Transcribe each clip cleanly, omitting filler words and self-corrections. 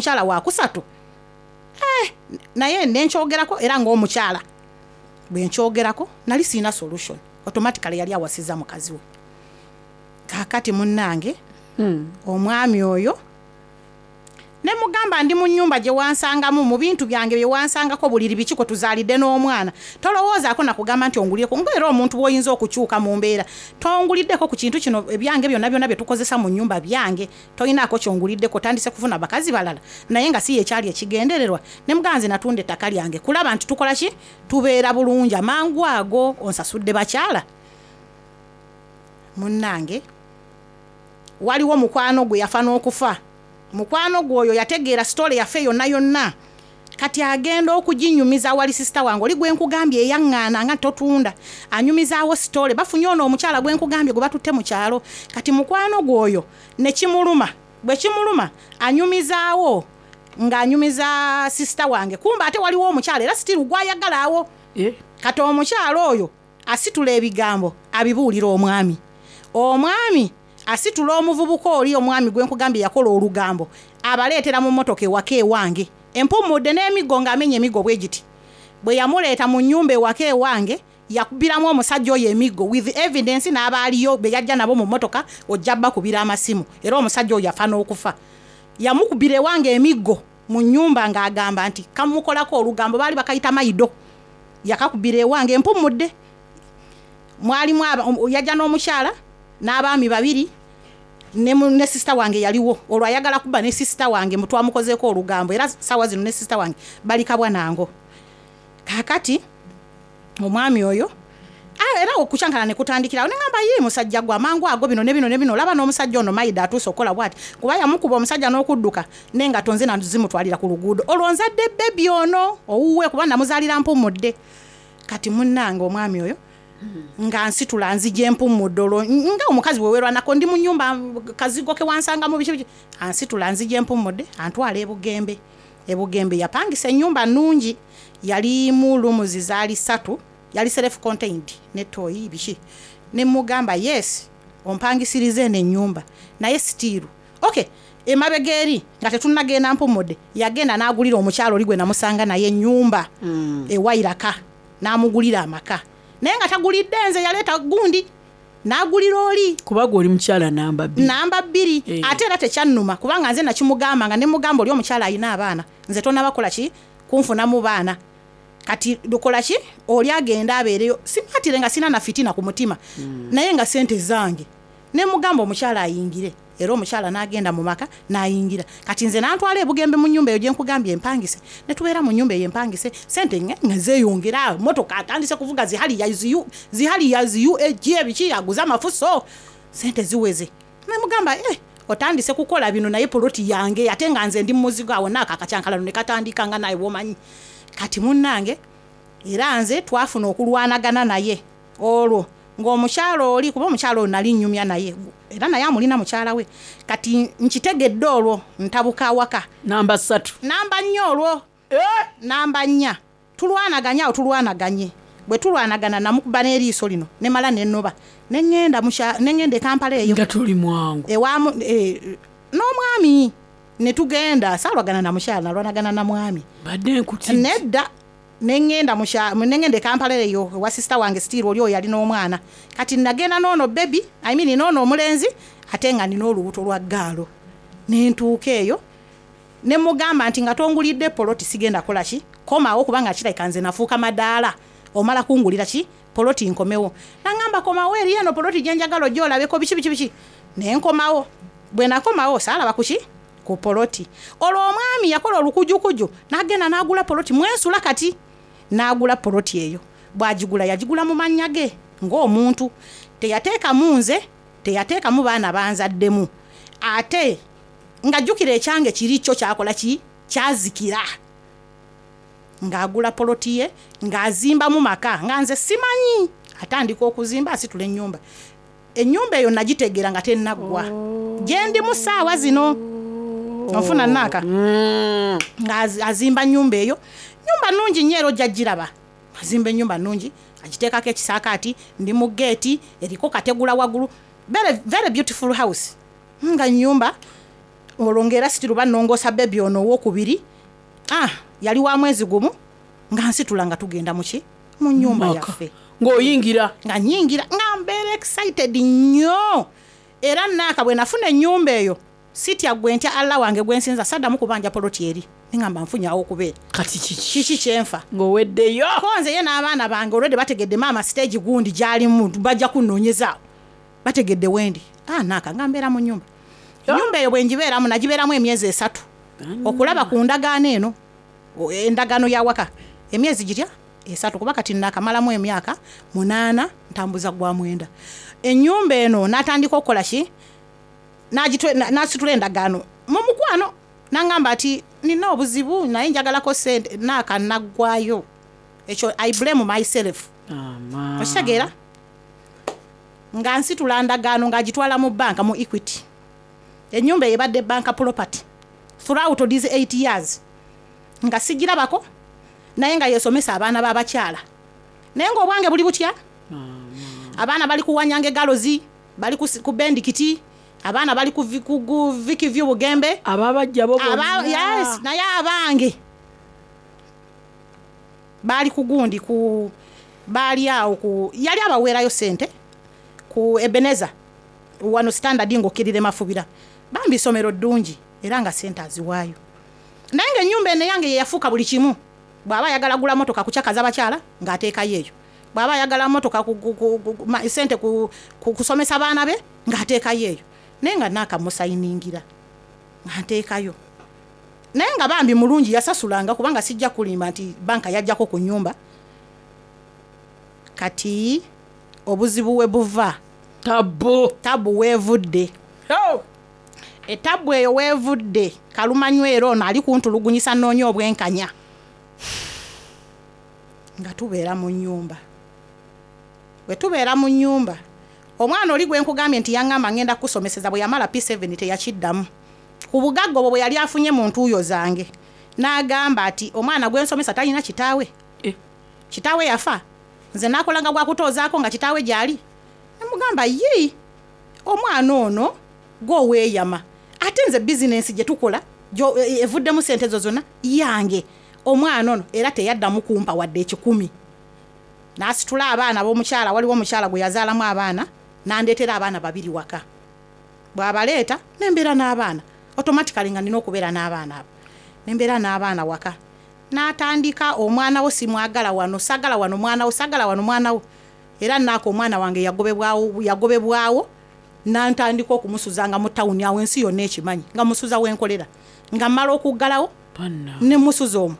mukyala wakusatu. Eh, naye nenkyogerako era ng'omukyala bwe nkyogerako nali siina solution. Automatically yali awasiza mukazi we. Kaakati munnange, omwami oyo ne mugamba, ndi mu nnyumba gye wansangamu, mu bintu byange bye wansangako, buliri biki kwe tuzaalidde n'omwana. Tolowoozaako nakugamba nti ongulireko, ngaera omuntu bw'oyinza okukyuka mu mbeera. Tonguliddeko ku kintu kino, ebyange byonna byonna bye tukozesa mu nnyumba byange, tolinaako kyonguliddeko. Otandise kufuna bakazi balala, naye nga si yekyali ekigendererwa. Ne mugamba, nze natunda ettaka lyange kulaba nti tukola ki, tubeera bulungi. Amangu ago onsasudde bakyala. Munnange, waliwo mukwano gwe yafa n'okufa. Mukwano gwe oyo yategeera story yaffe yonna yonna. Kati agenda okuginyumiza wali sister wange oli gwe nkugambye eyaŋŋaana nga totunda, anyumizaawo story, bafunye ono omukyala gwe nkugambye gwe batutte mu kyalo. Kati mukwano gwe oyo ne kimuluma. Bwe kimuluma, anyumizaawo ng'anyumiza sister wange, kumba ate waliwo omukyala era still gwayagala awo. Eh? Kati omukyala oyo asitula ebigambo abibuulira omwami. Omwami asitula omuvubuka oli, omwami gwe nkugambye yakola olugambo, abaleetera mu mmotoka ewaka ewange empumudde n'emiggo, ng'amenya emiggo bwe giti. Bwe yamuleeta mu nnyumba ewaka ewange, yakubiramu omusajja oyo emiggo with evidence, n'abaaliyo be yajja nabo mu mmotoka, ojja bakubira amasimu. Era omusajja oyo yafa n'okufa. Yamukubira ewange emiggo mu nnyumba ng'agamba nti kamukolako olugambo, baali bakayita maido. Yakakubira ewange empumudde. Mwalimu yajja n'omukyala n'abaami babiri ne sister wange yaliwo. Olwo ayagala kuba ne sister wange mutwamukozeeko olugambo, era sawa zino ne sister wange bali kabwa nango. Kaakati omwami oyo, ah, era okukyankana ne kutandikirawo. Neŋamba, ye musajja gwe, amangu ago bino ne bino ne bino, olaba n'omusajja ono maida atuuse okukola bwati, kuba yamukuba omusajja n'okudduka nengato nze nazimutwalira ku luguudo. Olwo nzadde baby ono owuwe, kuba namuzaalira mpumudde. Kati munnange, omwami oyo nga nsitula nzija empumudde, olwo nga omukazi bwewerwanako, ndi mu nyumba kazigo ke wansangamu biki biki, ansitula nzija empumudde, antwala ebugembe. Ebugembe yapangisa ennyumba nnungi, yalimu rooms zaali ssatu, yali self contained ne toilet biki. Ne mugamba, yes, ompangisiriza eno ennyumba, naye still okay. Emabega eri nga tetunnagenda mpumudde, yagenda n'agulira omukyalo oli gwe namusanga naye ennyumba ewairaka, n'amugulira amaka, naye nga tagulidde nze, yaleeta gundi n'agulira oli. Kuba gwe oli mukyala namba 2. Namba 2. Eh. Ate era tekyannuma, kubanga nze nakimugamba nga nemugamba, oli omukyala alina abaana, nze tonabakola ki kunfunamu baana, kati lukola ki oli agenda abeereyo. Simatire nga sina na fitina ku mutima, naye nga sente zange. Nemugamba omukyala ayingire, era omukyala n'agenda mu maka n'ayingira. Kati nze nantwala ebugembe mu nyumba eyo gyenkugambye empangise, netubeera mu nyumba eyo empangise. Sente nga zeeyongera, motoka atandise kuvuga zihali ya ziuag ebiki, aguze amafuso, sente ziweze. Nemugamba, eh, otandise kukola bino, naye poloti yange, ate nga nze ndi mumuzigo awo. Naako akacyankalano ne katandika nga naye bwomanyi. Kati munnange, era nze twafuna okulwanagana naye olwo ng'omukyalo oli, kuba omukyalo oyo nali nnyumya naye, era naye amulina mukyala we. Kati nkitegedde olwo ntabuka awaka. Namba 3. Namba 4 olwo. Namba 4 tulwanaganye awo, tulwanaganye. Bwe tulwanagana, namukuba n'eriiso lino, nemala nenoba, neŋŋenda e Kampala eyo. Nga toli mwangu. Ewamu n'omwami netugenda. Saalwagana na mukyala, nalwanagana na mwami. Badde nkuti. Nedda, neŋŋenda e Kampala eyo ewa sister wange, still oli oyo yalina omwana. Kati nagenda noono baby, I mean noono omulenzi, ate nga nina olubuto lwa girl. Nentuuka eyo ne mugamba nti nga tongulidde poloti sigenda kola ki, komawo, kubanga kirabika nze nafuuka madaala, omala kungulira ki poloti nkomewo. Naŋŋamba, komawo eri eno poloti gyenjagala ojja olabeko biki biki biki. Nenkomawo. Bwe nakomawo, saalaba kuki ku poloti. Olwo omwami yakola olukujukuju n'agenda n'agula poloti mwensula kati. N'agula poloti eyo. Bw'agigula, yagigula mu mannya ge ng'omuntu, teyateekamu nze, teyateekamu baana banzaddemu. Ate nga jjukira ekyange kiri kyo kyakola ki, kyazikira, ng'agula poloti ye, ng'azimbamu maka nga nze simanyi. Atandika okuzimba, asitula ennyumba. Ennyumba eyo nagitegeera nga tennaggwa, gye ndimu saawa zino. Onfuna naaka? Nga azimba nyumba eyo, nyumba nungi nnyo, era ojja giraba. Azimba ennyumba nungi, agiteekako ekisaakaati, ndi mu geeti eriko kategula waggulu. Very, very beautiful house, nga nyumba. Olwo ngaera situlu banongoosa bebi ono owokubiri. Ah, yali wa mwezi gumu nga nsitula nga tugenda muki mu nyumba Maka. yaffe. Ng'oyingira. Nga nyingira nga mbeera excited nnyo. Era naaka bwe nafuna ennyumba eyo, sitya gwe ntya Allah wange gwe nsinza, saddamu kubanja poloti eri, neŋŋamba nfunye awo okubeera. Kati kiki? Kiki kyenfa? Ng'oweddeyo. Ko nze ye n'abaana bange olwedde bategedde maama stage gundi gy'alimu, bajja kunnoonyezaawo, bategedde wendi. Ah, naaka nga mbeera mu nnyumba. Ennyumba eyo bwe ngibeeramu, nagibeeramu emyezi 3 okulaba ku ndagaano eno, endagaano ya waka emyezi gitya 3, kuba kati naakamalamu emyaka 8 ntambuza gwa 9. Ennyumba eno n'atandika okukola ki? N'asitula endagaano mu mukwano, n'aŋŋamba ati nina obuzibu naye njagalako ssente. Naaka naggwayo. Ekyo I blame myself. Okitegeera? Nga nsitula ndagaano ng'agitwala mu banka, mu Equity. Ennyumba eyo ebadde banka property throughout these 8 years, nga sigirabako, naye nga yesomesa abaana b'abakyala. Naye ng'obwange buli butya? Abaana bali kuwanyanga egalozi, bali ku Bendikiti, abaana bali ku Vikivyu Bugembe. Ababajja bo bonna. Yes, naye abange baali ku gundi, ku baali awo ku yali abaweerayo ssente ku Ebeneza wano Standard ng'okkirira Mafubira. Bambi ssomero ddungi era nga ssente aziwaayo. Naye ng'ennyumba eno eyange ye yafuuka buli kimu. Bw'aba ayagala gula motoka kukyakaza bakyala ng'ateekayo eyo, bw'aba ayagala motoka ssente kusomesa baana be ng'ateekayo eyo. Naye nga naakamusayiningira nga nteekayo. Naye nga bambi mulungi yasasulanga, kubanga sijja kulimba nti banka yajjako ku nnyumba. Kati obuzibu we buva. Tabu. Tabu weevudde. Oh! Etabu eyo weevudde. Kalumanywera ono ali kuntulugunyisa nnoonya obwenkanya. Nga tubeera mu nnyumba. Bwe tubeera mu nnyumba, omwana oli gwe nkugambye nti yaŋŋamba ngenda kukusomeseza, bwe yamala P7 teyakiddamu. Ku bugagga obwo bwe yali afunye mu ntuuyo zange, n'agamba ati omwana gwe nsomesa talina kitaawe. Kitaawe yafa. Nze naakolanga gwa kutoozaako nga kitaawe gy'ali. Ne mugamba, yii, omwana ono gw'oweeyama. Ate nze bizinensi gye tukola, evuddemu ssente ezo zonna yange. Omwana ono era teyaddamu kumpa wadde 1,000. N'asitula abaana b'omukyala, waliwo omukyala gwe yazaalamu abaana, n'andeetera abaana 2 waka. Bw'abaleeta, ne mbeera n'abaana. Automatically nga nina okubeera n'abaana abo. Ne mbeera n'abaana waka. N'atandika omwana wo simwagala wano, saagala wano mwana wo, saagala wano mwana wo. Era naako omwana wange yagobebwawo, n'antandika okumusuzanga mu tawuni awo ensi yonna ekimanyi, nga musuza wenkolera. Nga mmala okuggalawo, ne musuza omwo.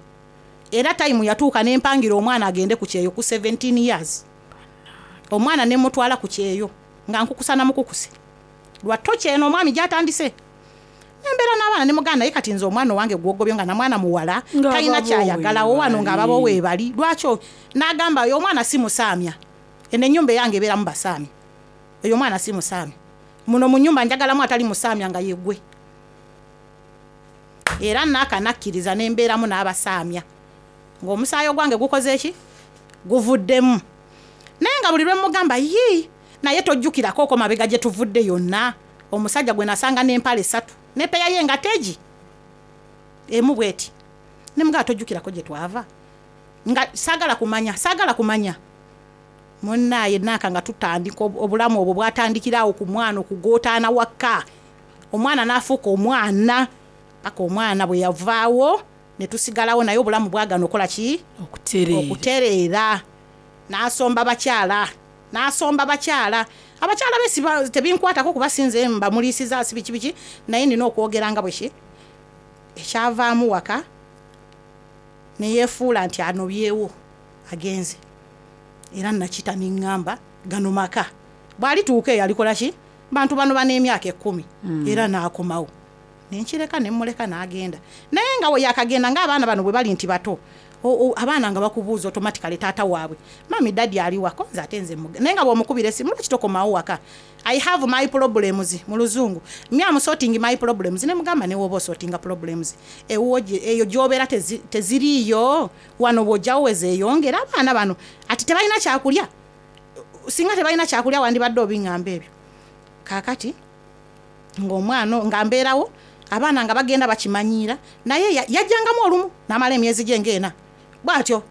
Era time yatuuka ne mpangira omwana agende ku kyeyo ku 17 years. Omwana ne mutwala ku kyeyo nga nkukusa na mukukuse. Lwa toki eno omwami gy'atandise. Nembeera n'abaana ne muganda, naye kati nze omwana owange gw'ogobye nga na mwana muwala, Nga talina ababo kyayagalawo wano weebali. ng'ababo weebali. Lwaki n'agamba oyo omwana si musaamya. Eno ennyumba eyange ebeeramu basaamya. Oyo omwana si musaamya. Muno mu nnyumba njagalamu atali musaamya nga ye ggwe. Era naaka nakkiriza ne mbeeramu n'abasaamya. Ng'omusaayi ogwange gukoze ki? Guvuddemu. Naye nga buli lwe mmugamba, yii, naye tojjukirako okwo mabega gye tuvudde yonna. Omusajja gwe nasanga n'empale 3, ne peya ye nga tegi. Emu bw'eti. Ne mugamba tojjukirako gye twava. Nga saagala kumanya, saagala kumanya. Munnaaye naaka nga tutandika obulamu obwo bwatandikira awo ku mwana okugootaana waka. Omwana n'afuuka omwana, paka omwana bwe yavaawo ne tusigalawo, naye obulamu bwagaana okukola ki? Okutereera. Okutereera. N'asomba bakyala. N'asomba bakyala. Abakyala be siba, tebinkwatako kuba sinze mbamuliisiza si biki biki, naye nina okwogera nga bwe ki? Ekyavaamu waka ne yeefuula nti anobyewo agenze. Era nakita ne ŋŋamba gano maka. Bw'alituuka eyo alikola ki? Bantu bano bano emyaka 10. Era n'akomawo. Ne nkireka ne mmuleka n'agenda. Naye nga we yakagenda ng'abaana bano bwe bali nti bato, abaana nga bakubuuza automatically taata waabwe. Mami daddy ali wako, nze ate nze naye nga bw'omukubira essimu, lwaki tokomawo waka? I have my problems mu luzungu. Me am sorting my problems. Ne mugamba ne woba sortinga problems. Ewuwo eyo gy'obeera teziriiyo, wano bw'ojjawo we zeeyongera abaana bano. Ati tebalina kyakulya. Singa tebalina kyakulya wandibadde obiŋŋamba ebyo. Kaakati ng'omwana nga mbeerawo, Abaana nga bagenda bakimanyiira, naye yajjangamu olumu n'amala emyezi gye ng'ena bw'atyo.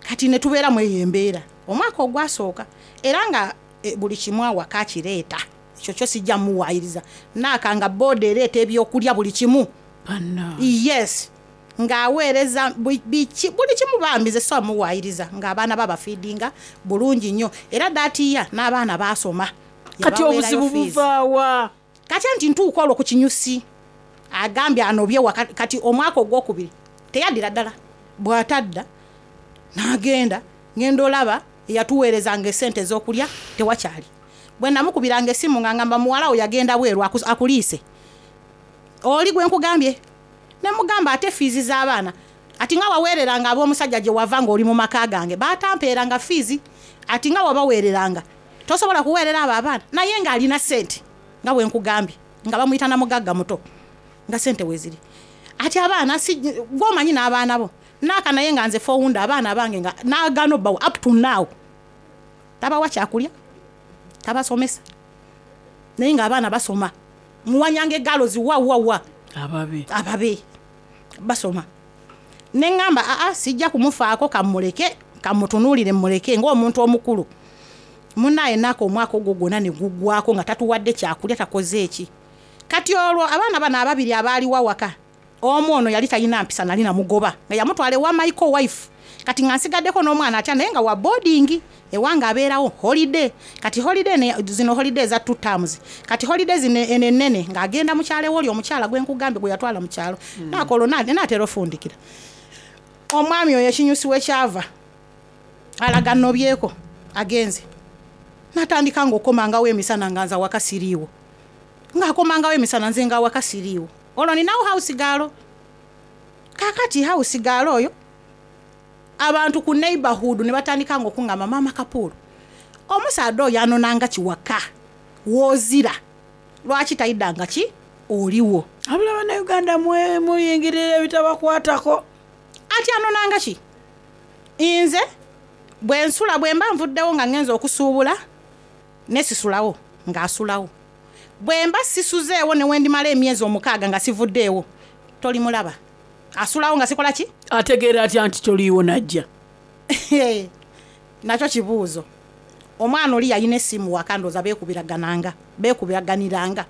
Kati ne tubeera mu eyo embeera omwaka ogwasooka, era nga buli kimu awaka akireeta. Ekyo kyo sijja muwaayiriza. Naaka nga booda ereeta ebyokulya buli kimu. Yes, ng'aweereza buli kimu bambi, nze so muwaayiriza, ng'abaana babafiidinga bulungi nnyo, era daatiya n'abaana baasoma. Kati Yabaweerayo obuzibu fees. buvaawa? Kati anti ntuuka olwo ku kinyusi, agambye anobye waka. Kati omwaka ogwokubiri teyaddira ddala, bw'atadda n'agenda, ngenda olaba eyatuweerezanga esente ez'okulya tewakyali. Bwe namukubiranga essimu nga ngamba muwala wo yagenda bweru akuliise oli gwe nkugambye, ne mugamba ate fiizi z'abaana, ati nga waweereranga ab'omusajja gye wava ng'oli mu maka gange batampeeranga fiizi, ati nga wabaweereranga tosobola kuweerera abo abaana. Naye ng'alina ssente nga bwe nkugambye, nga bamuyita na mugagga muto, nga ssente weeziri, ati abaana si gwomanyi n'abaana bo naaka. Naye nga nze fowunda abaana bange nga nagano bawa, up to now tabawa kyakulya, tabasomesa, naye ng'abaana basoma. Muwanyanga egalozi wa wa wa. Ababe. Ababe basoma. Neŋŋamba aa, sijja kumufaako, kamuleke, kamutunuulire, muleke ng'omuntu omukulu munaye. Naaka omwaka ogwo gwonna ne guggwako nga tatuwadde kyakulya, takoze eki. Kati olwo abaana bano ababiri abaaliwo awaka, omu ono yali talina mpisa, nali namugoba nga yamutwala ewa Michael wife. Kati nga nsigaddeko n'omwana atya, naye nga wa boarding ewange, abeerawo holiday. Kati holiday zino holiday eza two terms, kati holiday zino eno ennene ng'agenda mukyalo ewoli omukyala gwe nkugambye gwe yatwala mu kyalo. Naaka olwo naatera ofundikira omwami oyo ekinyusi we kyava alaga nobyeko, agenze natandika ng'okomangawo emisana nga nze awaka siriiwo, ng'akomangawo emisana nze nga awaka siriiwo. Olwo ninawo house girl. Kakati house girl oyo, abantu ku neighborhood ne batandika nga okuŋŋamba, maama Kapuulu, omusaadde oyo anonanga kiwaka woozira, lwaki tayiddanga ki oliwo? Abula bannayuganda muyingirira ebitabakwatako. Ati anonanga ki? Nze bwe nsula, bwe mba nvuddewo nga ngenza okusuubula, nesisulawo ng'asulawo. Bwe mba sisuzeewo, ne wendimala emyezi 6 nga sivuddeewo, tolimulaba, asulawo nga sikola ki. Ategeera atya nti toliiwo najja? Nakyo kibuuzo. Omwana oli yalina essimu waka, ndooza beekubiragananga, beekubiraganiranga.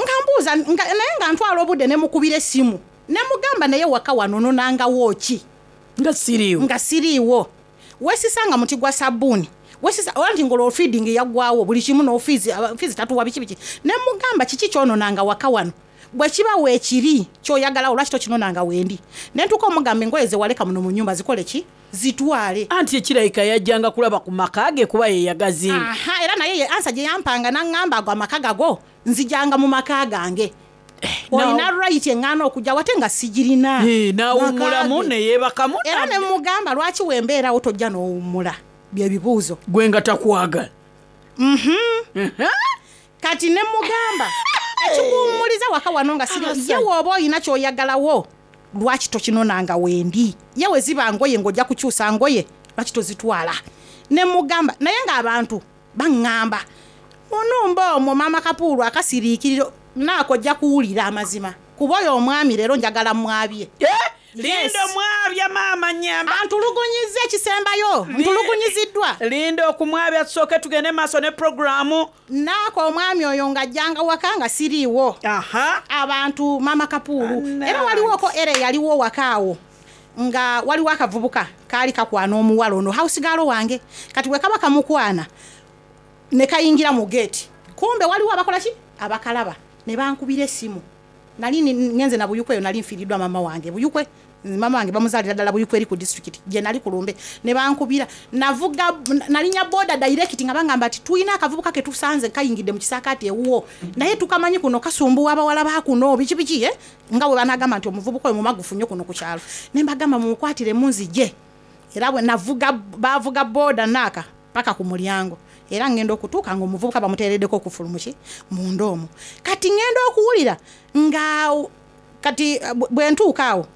Nga mbuuza naye nga ntwala obudde ne mukubira essimu ne mugamba, naye waka wano nonangawo ki? Nga siriiwo. Nga siriiwo, wesisanga muti gwa sabbuuni, wesisa oba nti ngolwo feeding yaggwawo buli kimu nofiizi, fiizi tatuwa, biki biki. Ne mugamba, kiki kyononanga waka wano? Bwe kiba weekiri kyoyagalawo, lwaki tokinonanga wendi? Ne ntuuka omugamba, engoye ze waleka muno mu nyumba zikole ki? Zitwale. Anti ekirabika yajjanga kulaba ku maka ge kuba ye yagazimba. Aha, era naye ye answer gye yampanga, naŋŋamba ago amaka gago, nzijanga mu maka gange. Olina right eŋŋaana okujja wate nga sigirina. N'awummulamu. Maka ge. Neyeebakamu. Era ne mugamba, lwaki wembeerawo tojja n'owummula? Byebibuuzo. Gwe nga takwagala. Kati ne mugamba, ekikuwummuliza waka wano nga siri Abasajja. ye, wooba olina kyoyagalawo, lwaki tokinonanga wendi? Ye we ziba ngoye ng'ojja kukyusa ngoye, lwaki tozitwala? Ne mugamba, naye ng'abantu baŋŋamba munumba omwo maama Kapuulu akasiriikiriro naako, ojja kuwulira amazima kuba oyo omwami leero njagala mwabye. Linda, omwabya maama nyamba. Antulugunyiza ekisembayo, ntulugunyiziddwa. Linda okumwabya, tusooke tugende maaso ne puroguramu. Naako omwami oyo ng'ajjanga waka nga siriiwo. Abantu, maama Kapuulu. Anna. Era waliwoko, era eyaliwo waka awo nga waliwo akavubuka kaali kakwana omuwala ono house girl wange. Kati bwe kaba kamukwana ne kayingira mu geeti, kumbe waliwo abakola ki, abakalaba, ne bankubira essimu. Nali ngenze na Buyukwe eyo, nali nfiiriddwa mama wange Buyukwe, mama wange bamuzaalira ddala Buyukwe eri ku disitulikiti gye nali ku lumbe. Ne bankubira, navuga, nalinya boda direct, nga bangamba nti tulina akavubuka ke tusanze kayingidde mu kisaakaati ewuwo, naye tukamanyi kuno kasumbuwa abawala ba kuno, biki biki, eh? Nga bwe banagamba nti omuvubuka oyo mumagufu nnyo kuno ku kyalo. Ne mbagamba mumukwatire munzije. Era bwe navuga, bavuga boda naaka paka ku mulyango, era ngenda okutuuka nga omuvubuka bamuteereddeko okufulumuki munda omwo. Kati ngenda okuwulira nga kati bwe ntuuka awo.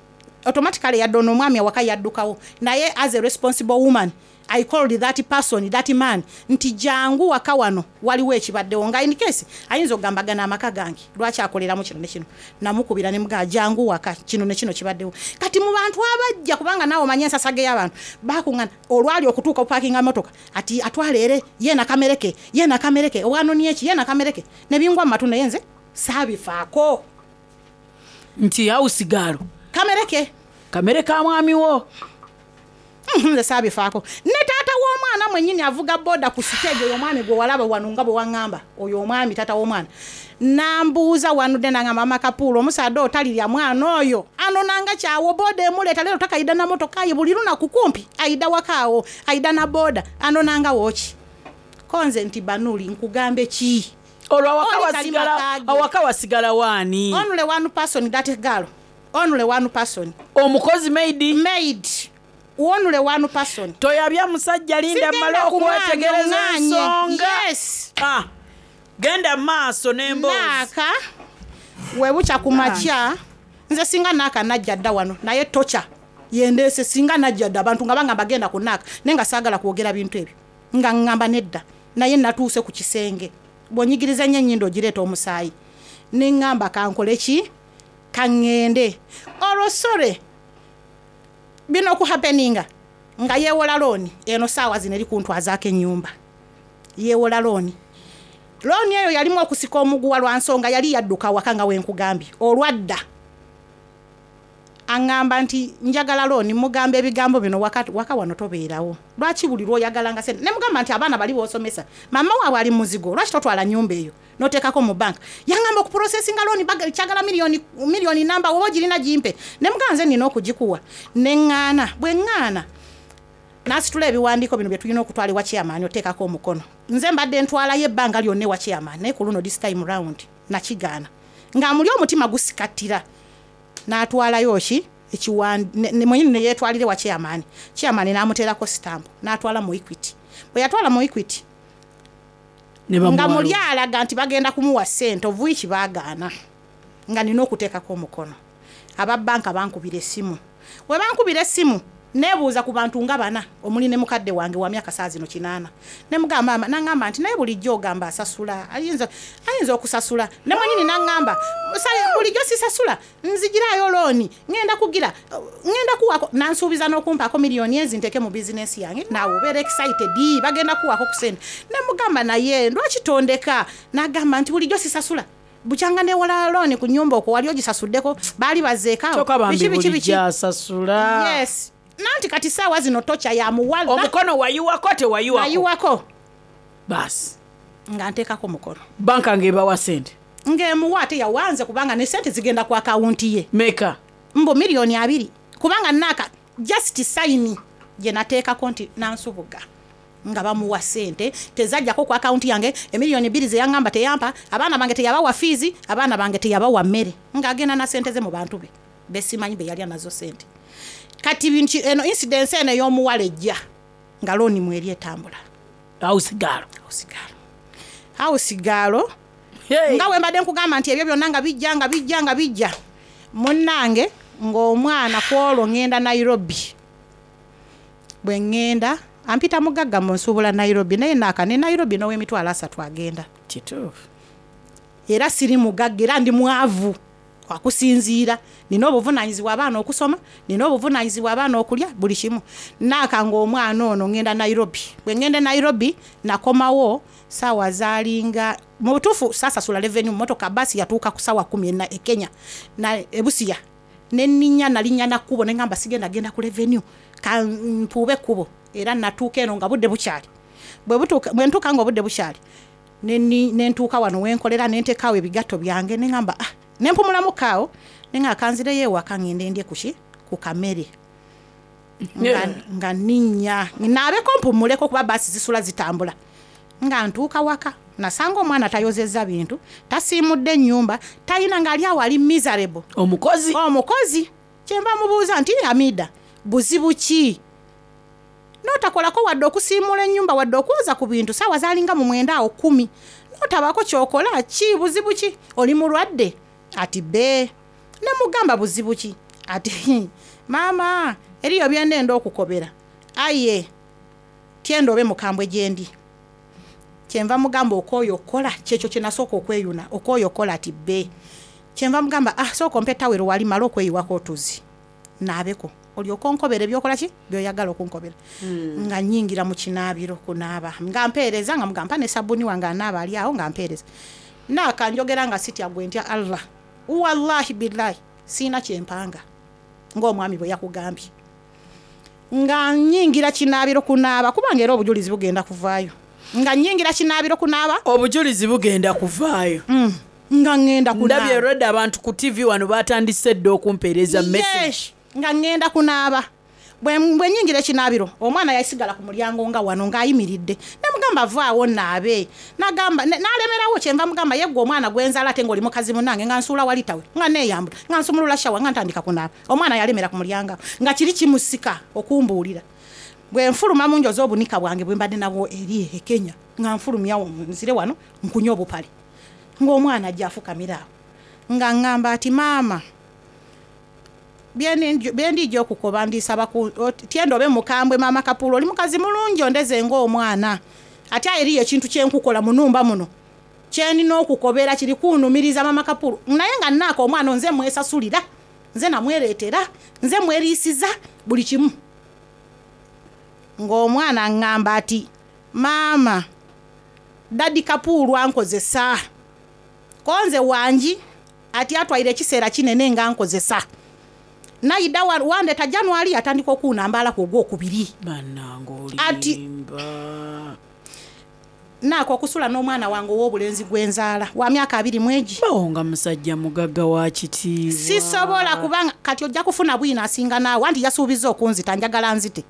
Automatically yadde ono omwami awaka yaddukawo, naye as a responsible woman I called that person, that man, nti jangu waka wano, waliwo ekibaddewo. Nga in case ayinza okugamba gano amaka gange, lwaki akoleramu kino ne kino. Namukubira ne mugaa jangu waka, kino ne kino kibaddewo. Kati mu bantu abajja, kubanga naawe omanye ensasage y'abantu bakuŋŋana, olwali okutuuka opakinga motoka ati atwala ere yeena kamereke, yeena kamereke owanoni eki, yeena kamereke, ne bingwa mu matu, naye nze saabifaako. Nti house girl kamereke kamere ka mwami wo. Nze saabifaako. Ne taata w'omwana mwennyini avuga boda ku siteegi, oyo omwami gwe walaba wano nga bwe waŋŋamba, oyo omwami taata w'omwana nambuuza wanudde nangamba, amakapuulu omusaadde otalirya mwana oyo anonanga kyawo, boda emuleeta leero takayida na motoka ye, buli lunaku kumpi ayida wakaawo ayida na boda, anonanga wooki? Ko nze nti banuli nkugambe ki? Olwo awaka Oli kali wasigala makaage. Awaka wasigala waani? Only one person, that girl, only one person. Omukozi maid. Maid, only one person. Toyabya musajja, linda mmale Sigenda kumwanya, okwetegereza oŋŋaanye. ensonga. Yes. Ah, genda maaso n'emboozi. Naaka webukya ku makya, nze singa naaka najja dda wano, naye tokya yendeese. Singa najja dda, abantu nga bangamba genda ku naaka, naye nga saagala kwogera bintu ebyo, nga ŋŋamba nedda. Naye natuuse ku kisenge, bw'onyigiriza nnyo ennyindo ogireeta omusaayi, ne ŋŋamba kankole ki, kaŋŋende. Olwo sore bino okuhappeninga nga yeewola looni eno, saawa zino eri kuntwazaako ennyumba. Yeewola looni, looni eyo yalimu okusika omuguwa lwa nsonga yali yadduka waka nga wenkugambye. Olwadda aŋŋamba nti njagala looni. Mugamba ebigambo bino, waka, waka wano tobeerawo, lwaki buli lwoyagalanga sente? Ne mugamba nti abaana bali boosomesa, mama waabwe ali muzigo, lwaki totwala nyumba eyo noteekako mu banka? Yaŋŋamba okuprocessinga looni kyagala miliyoni, miliyoni namba, woba ogirina gimpe. Ne mugamba nze nina okugikuwa. Ne ŋŋaana. Bwe ŋŋaana, nasitula ebiwandiiko bino bye tulina okutwala ewa chairman oteekako omukono. Nze mbadde ntwalayo ebbanga lyonna ewa chairman, naye ku luno, this time round, nakigaana nga muli omutima gusikattira. N'atwalayo ki mwenyini neyeetwalire wa chairman, chairman n'amuteerako sitampu, n'atwala mu Equity. Bwe yatwala mu Equity, Ne nga bamuwa muli loan. Alaga nti bagenda kumuwa ssente, ovuiki baagaana nga nina okuteekako omukono. Aba banka bankubira essimu. We bankubira essimu, neebuuza ku bantu nga bana, omuli ne mukadde wange wa myaka saa zino 80. Ne mugamba maama, naŋŋamba nti naye bulijjo ogamba asasula, ayinza okusasula. Ne mwenyini naŋŋamba, bulijjo sisasula, nzigirayo looni, ŋŋenda kugira, ŋŋenda kuwako. Nansuubiza n'okumpaako miliyoni ezi nteeke mu bizinesi yange. Naawe obeera excited, bagenda kuwako ku sente. Ne mugamba naye lwaki tondeka? N'agamba nti bulijjo sisasula, bukyanga newola looni ku nyumba okwo wali ogisasuddeko, baali bazeekaawo. Kyokka bambi Biki, biki, biki. bulijjo asasula. Yes, nanti kati saawa zino tokya yamuwala. Omukono wayiwako tewayiwako? Nayiwako. Baasi. Nga nteekako mukono. Banka ng'ebawa sente? Ng'emuwa, ate yawanze kubanga ne sente zigenda ku akawunti ye. Meka? Mbu miliyoni 20, kubanga naaka just sign gye nateekako nti nansubuga nga bamuwa sente, tezajjako ku akawunti yange. Emiliyoni 2 zeyaŋŋamba teyampa, abaana bange teyabawa fiizi, abaana bange teyabawa mmere, ng'agenda na sente ze mu bantu be besimanyi be yalya nazo sente. Kati bintu eno incidence eno ey'omuwala ejja nga looni mweri etambula. House girl. House girl. Hey. Nga bwe mbadde nkugamba nti ebyo byonna nga bijja, nga bijja, nga bijja, munnange, ng'omwana ku olwo ŋŋenda Nairobi. Bwe ŋŋenda ampita mugagga mu nsuubula Nairobi, naye naaka ne Nairobi n'ow'emitwalo 30 agenda. Kituufu. Era siri mugagga, era ndi mwavu akusinziira. Nina obuvunaanyizibwa abaana okusoma, nina obuvunaanyizibwa abaana okulya buli kimu. Naaka ng'omwana ono ŋŋenda Nairobi. Bwe ŋŋenda e Nairobi, nakomawo saawa zaalinga, mu butuufu saasasula revenue mu motoka. Baasi yatuuka ku saawa 10 e Kenya na ebusiya nenninya, nalinnya na kkubo, ne ŋŋamba sigenda genda ku revenue, kampuube ekkubo. Era natuuka eno nga budde bukyali. Bwe ntuuka nga obudde bukyali, nentuuka wano wenkolera, nenteekaawo ebigatto byange, neŋŋamba ah, nempumulamu kaawo, neŋŋamba kanzireyo ewaka ŋŋende ndye kuki, ku kamere. Nga nninnya naabeko mpumuleko kuba baasi zisula zitambula. Nga ntuuka waka, nasanga omwana tayozezza bintu, tasiimudde ennyumba, talina, ng'ali awo ali miserable. Omukozi? Omukozi. Kyenva mubuuza nti Hamida, buzibu ki notakolako wadde okusiimula ennyumba, wadde okwoza ku bintu? Saawa zalinga mu 9 awo 10, notabaako kyokola ki? Buzibu ki? Oli mulwadde? Ati be. Nemugamba buzibu ki? Ati maama eriyo byendenda okukobera aye tyenda obe mukambwe gyendi. Kyenva mugamba okooye okukola kyekyo kyenasooka okweyuna okooye okukola ati bbe. Kyenva mugamba ah sooka ompe tawero wali male okweyiwako otuzi naabeko olyoke onkobere byokola ki byoyagala okunkobera. Nga nyingira mu kinaabiro kunaaba nga mpeereza nga mugamba mpa ne sabuni wange anaaba ali awo nga mpeereza. Naaka njogera nga sitya gwe ntya Allah wallahi billahi siina kyempanga ng'omwami bwe yakugambye. Nga nyingira kinaabiro kunaaba kubanga era obujulizi bugenda kuvaayo. Nga nyingira kinaabiro kunaaba. Obujulizi bugenda kuvaayo. Nga ŋŋenda Ndabye kunaaba. already abantu ku TV wano batandise dda okumpeereza message. Yes, nga ŋŋenda kunaaba. Bwe bwe nyingira ekinaabiro omwana yasigala ku mulyango nga wano ng'ayimiridde. Namugamba vaawo naabe. Nagamba n'alemerawo kyenva mugamba ye ggwe omwana gwe nzaala ate ng'oli mukazi munnange nga nsuula wali tawe nga neeyambula nga nsumulula shawa nga ntandika kunaaba. Omwana yalemera ku mulyango awo nga kiri kimusika okumbuulira. Bwe nfuluma mu njoza obunika bwange bwe mbadde nabwo eri e Kenya nga nfulumyawo nzire wano nkunye obupale. Ng'omwana ajja afukamira awo nga ŋŋamba ati maama byendiija okukoba ndisaba tyenda obe mukambwe maama Kapuulu oli mukazi mulungi ondeze ng'omwana. Ate eriyo ekintu kyenkukola mu nnumba muno kyenina okukobera kiri kunnumiriza maama Kapuulu naye nga nnaaka omwana nze mwesasulira nze namwereetera nze mweriisiza buli kimu. Ng'omwana aŋŋamba ati maama Daddy Kapuulu ankozesa ko nze wangi ati atwaire ekiseera kinene nga nkozesa. Naida wandeta January atandika okuunambalako ogwokubiri. Bannange Ati olimba. Naaka okusula n'omwana wange ow'obulenzi gwe nzaala wa myaka 21. Bawo nga musajja mugagga wa kitiibwa. Sisobola kubanga kati ojja kufuna bwino asinga naawe anti yasuubizza okunzita njagala nzite.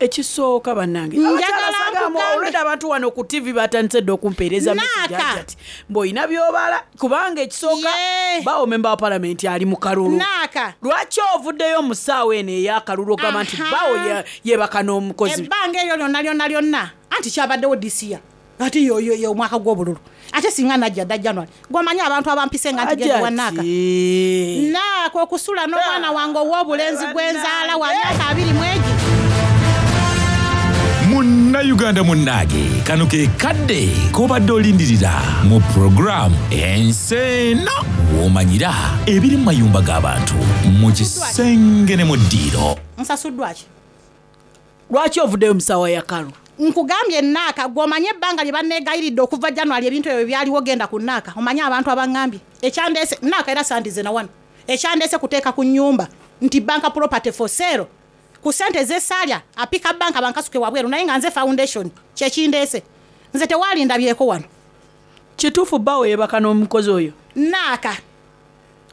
Ekisooka bannange. Njagala Abakyala sagamba nkugambe. already abantu wano ku TV batandise dda okumpeereza message Naaka. ati mbw'olina by'obala kubanga ekisooka Yee. bawo memba wa palamenti ali mu kalulu. Naaka. Lwaki ovuddeyo mu ssaawa eno ey'akalulu ogamba nti Aha. bawo yeebaka n'omukozi? Ebbanga eryo lyonna lyonna lyonna anti kyabaddewo this year. Ate yo yo yo omwaka gw'obululu. Ate singa najja dda January. Gw'omanyi abantu abampise nga nti genda wa Naaka. Ajati. Naaka okusula n'omwana wange ow'obulenzi gwe nzaala wa myaka 21. Munnayuganda munnange kano ke kadde k'obadde olindirira mu puroguramu Ensi Eno w'omanyira ebiri mu mayumba g'abantu mu kisenge ne mu ddiiro. Nsasuddwa ki? Lwaki ovuddeyo mu ssaawa ya kalu? Nkugambye Naaka gw'omanyi ebbanga lye banneegayiridde okuva January ebintu ebyo byaliwo genda ku Naaka omanyi abantu abaŋŋambye ekyandeese Naaka era sandize na wano ekyandeese kuteeka ku nnyumba nti bank property for sale ku ssente z'essaalya apika banka bankasuke wabweru naye nga nze foundation kyekindeese nze tewalindabyeko wano. Kituufu bbawo yeebaka n'omukozi oyo? Naaka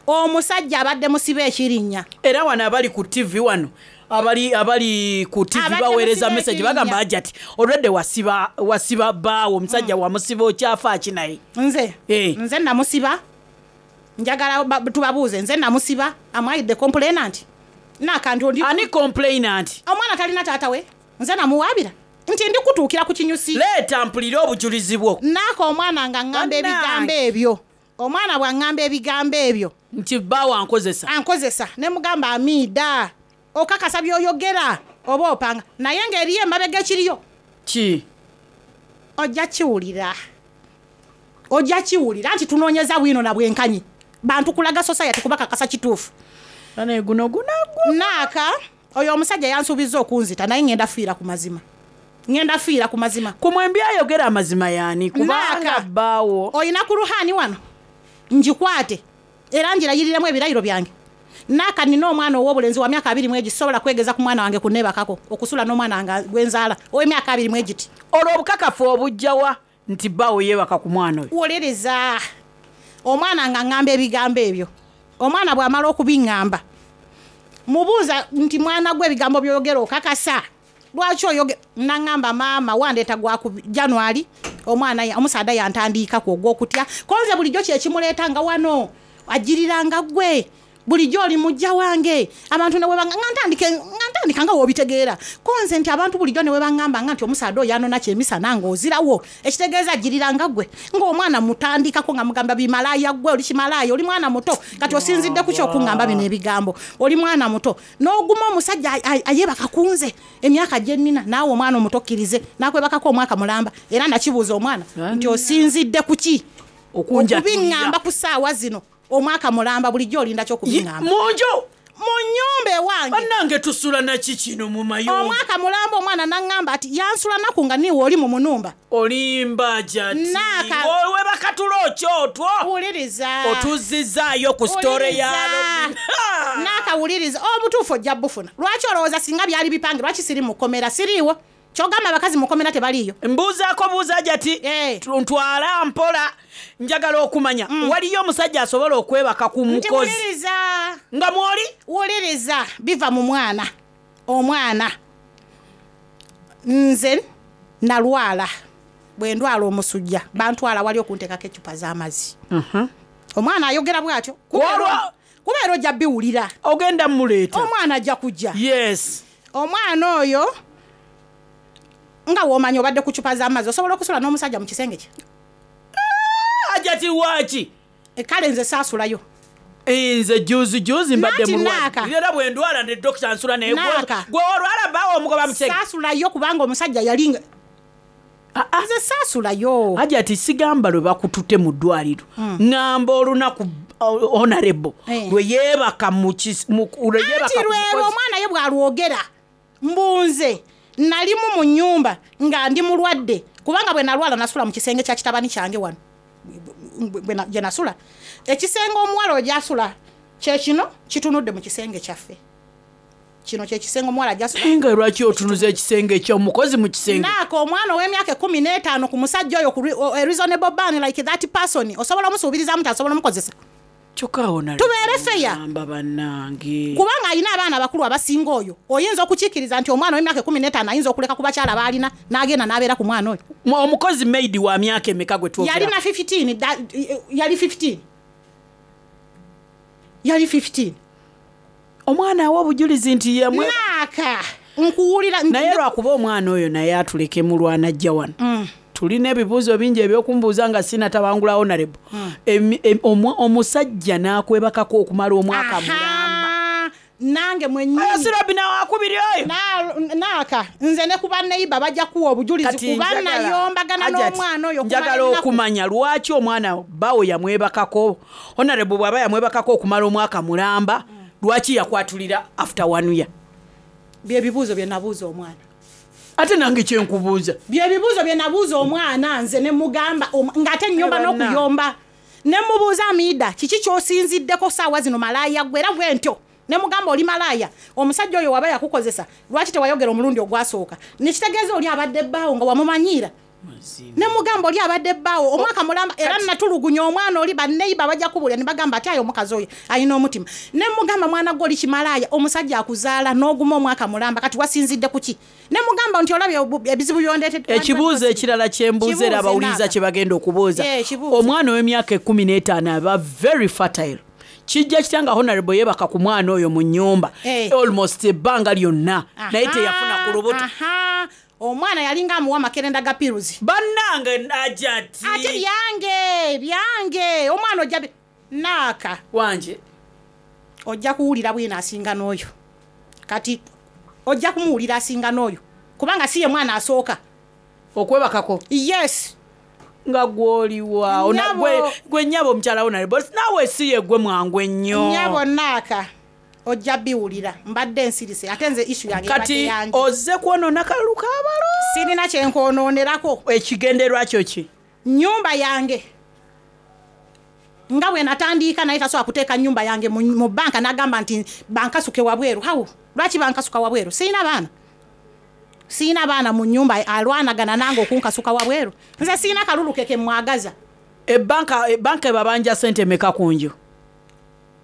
omusajja abadde musibe ekirinnya. Era wano abali ku TV wano abali abali ku TV Abadde baweereza musibe message ekirinnya. bagamba Hajati already wasiba wasiba bbaawo omusajja wamusiba okyafa ki naye? Nze Eh. nze namusiba njagala tubabuuze nze namusiba am I the complainant? Naaka ndi Ani complainant? Omwana talina taata we nze namuwaabira nti ndi kutuukira ku kinyusi. Leeta mpulire obujulizi bwo. Naaka omwana nga ŋŋamba Bannange. ebigambo ebyo. Omwana bw'aŋŋamba ebigambo ebyo. Nti bbaawo ankozesa. Ankozesa ne mugamba amiida okakasa by'oyogera oba opanga naye ng'eriyo emabega ekiriyo. Ki? Ojja kiwulira. Ojja kiwulira nti tunoonyeza bwino na bwenkanyi. Bantu kulaga society kubakakasa kituufu. Bane guno gunaggwa. Naaka oyo omusajja yansuubizza okunzita naye ŋŋenda fiira ku mazima. Ŋŋenda fiira ku mazima. Ku mwembi ayogera amazima y'ani? Kubanga Naaka. bbaawo. Olina ku ruhani wano ngikwate era ngirayiriremu ebirayiro byange. Naaka nina omwana ow'obulenzi wa myaka 21 sisobola kwegeza ku mwana wange kunneebakako okusula n'omwana wange gwe nzaala ow'emyaka 21. Olwo obukakafu obujja wa nti bbaawo yeebaka ku mwana oyo? Wolereza omwana nga ŋŋamba ebigambo ebyo. Omwana bw'amala okubiŋŋamba mubuuza nti mwana gwe ebigambo by'oyogera okakasa lwaki oyogera? Naŋŋamba maama wandeeta gwa ku January omwana omusaadha yantandiikako ogw'okutya konze bulijjo kye kimuleeta nga wano agiriranga ggwe Bulijjo oli mujja wange. Abantu ne bwe nga ntandika nga ntandika nga w'obitegeera. Ko nze nti abantu bulijjo ne bwe baŋŋamba nga nti omusaadha oyo anona kyemisana ng'ozirawo, ekitegeeza ajjirira nga ggwe. Ng'omwana mmutandikako nga mugamba bimalaaya ggwe, oli kimalaaya, oli mwana muto, kati osinzidde ku ki okuŋŋamba bino ebigambo? Oli mwana muto. N'oguma omusajja ayeebaka ku nze emyaka gye nnina, naawe omwana omuto okkirize n'akwebakako omwaka mulamba. Era nakibuuza omwana nti osinzidde ku ki okubiŋŋamba ku ssaawa zino? Omwaka mulamba bulijjo olinda ki okubiŋŋamba? Mu nju? Mu nnyumba ewange. Bannange tusula na ki kino mu mayumba? Omwaka mulamba omwana n'aŋŋamba ati yansula naku nga niiwe oli mu munumba. Olimba Hajati. Naaka. Webaka tulo ki otwo? Wuliriza. Otuzzizaayo ku story ya Robin. Naaka wuliriza. Obutuufu ojja bufuna. Lwaki olowooza singa byali bipange lwaki siri mu kkomera? Siriiwo. Ky'ogamba abakazi mu kkomera tebaliiyo? Mbuuzaako buuza Hajati. Eh. Ntwala mpola. Njagala okumanya waliyo omusajja asobola okwebaka ku Nti mukozi wuliriza. nga mwoli? Wuliriza biva mu mwana. Omwana. Nze nalwala. Bwe ndwala omusujja bantwala wali okunteekako eccupa z'amazzi. Omwana ayogera bw'atyo. Kuba era ojja biwulira. Ogenda muleeta. Omwana ajja kujja. Yes. Omwana oyo nga w'omanyi obadde ku ccupa z'amazzi osobola okusula n'omusajja mu kisenge kye? Hajati lwaki? Kale nze saasulayo. Nze juzi juzi mbadde Nanti mulwadde. naaka. Era bwe ndwala ne dokita nsula naye Naaka. gwe olwala bbaawo omugoba mu kisenge. Saasulayo kubanga omusajja yali nga nze saasulayo. Hajati sigamba lwe bakutute mu ddwaliro. Ŋŋamba olunaku honorable Eh. lwe yeebaka mu lwe yeebaka Anti ku lwelwo mukozi. omwana ye bw'alwogera mbunze nalimu mu nnyumba nga ndi mulwadde kubanga bwe nalwala nasula mu kisenge kya kitabani kyange wano gye nasula. Ekisenge omuwala oyo gy'asula kye kino kitunudde mu kisenge kyaffe. Kino kye kisenge omuwala gy'asula. Naye nga lwaki otunuza ekisenge eky'omukozi mu kisenge? Naako omwana ow'emyaka 15 ku musajja oyo ku a reasonable ban like that person osobola omusuubirizamu nti asobola omukozesa. Kyokka awo nali Tubeere fair. ngamba bannange. Kubanga alina abaana abakulu abasinga oyo. Oyinza okukikkiriza nti omwana ow'emyaka 15 ayinza okuleka ku bakyala b'alina n'agenda n'abeera ku mwana oyo. Omukozi maid wa myaka emeka gwe twogera? Yalina 15, yali 15. Yali 15. Omwana awa obujulizi nti yemwe. Naaka nkuwulira Naye lwakuba omwana oyo naye atuleke mu lwanajja wano. Tulina ebibuuzo bingi ebyokumbuuza nga sinatabangula honorable. Omusajja n'akwebakako okumala omwaka mulamba. Nange mwennyini. Oyo si Robina wakubiri oyo. Naaka nze ne ku banneiba bajja kuwa obujulizi Kati kuba njagala- nayombagana Hajati, n'omwana oyo okumala njagala ennaku. okumanya lwaki omwana bawo yamwebakako. Honorable bw'aba yamwebakako okumala omwaka mulamba, lwaki yakwatulira after 1 year? Bye bibuuzo bye nabuuza omwana. Ate nange kye nkubuuza. Bye bibuuzo bye nabuuza omwana nze ne mugamba ng'ate nnyomba Eh, banna. n'okuyomba. Ne mubuuza Amida kiki ky'osinziddeko ssaawa zino malaaya ggwe era bwe ntyo. Ne mugamba oli malaaya omusajja oyo waba yakukozesa lwaki tewayogera omulundi ogwasooka? Nekitegeeza oli abadde bbaawo nga wamumanyiira. Ne mugamba oli abadde bbaawo omwaka mulamba era natulugunya omwana oli banneiba bajja kubulya ne bagamba ati ayo omukazi oyo alina omutima. Ne mugamba mwana gwe oli kimalaaya omusajja akuzaala n'oguma omwaka mulamba kati wasinzidde ku ki? Ne mugamba nti olabye ebizibu byondeetedde. Ekibuuzo ekirala kye mbuuza era Kibuuze abawuliriza Naaka. kye bagenda okubuuza. Yeah, kibuuze. Omwana ow'emyaka 15 aba very fertile. Kijja kitya nga honorable yeebaka ku mwana oyo mu nnyumba Eh. almost ebbanga lyonna naye teyafuna ku lubuto. Aha. Omwana yalinga amuwa amakerenda ga piruzi. Bannange Hajati. Ate byange byange omwana ojja Naaka. Wanje. Ojja kuwulira bwino asinga n'oyo. Kati ojja kumuwulira asinga n'oyo kubanga si ye mwana asooka. Okwebakako? Yes. Nga gw'oliwa. Nnyabo. Gwe nnyabo omukyala honorable naawe si ye gwe mwangu ennyo. Nnyabo Naaka ojja biwulira mbadde nsirise ate nze issue yange ebadde Kati yange. ozze kwonoona kalulu k'abalo. Sirina kye nkwonoonerako. Ekigendererwa kyo ki? Nnyumba yange nga bwe natandika naye tasobola kuteeka nnyumba yange mu banka n'agamba nti bankasuke wabweru. Hawo lwaki bankasuka wabweru? Sirina baana. Sirina baana mu nnyumba alwanagana nange okunkasuka wabweru. Nze sirina kalulu ke ke mwagaza. Ebbanka ebabanja ssente mmeka ku nju?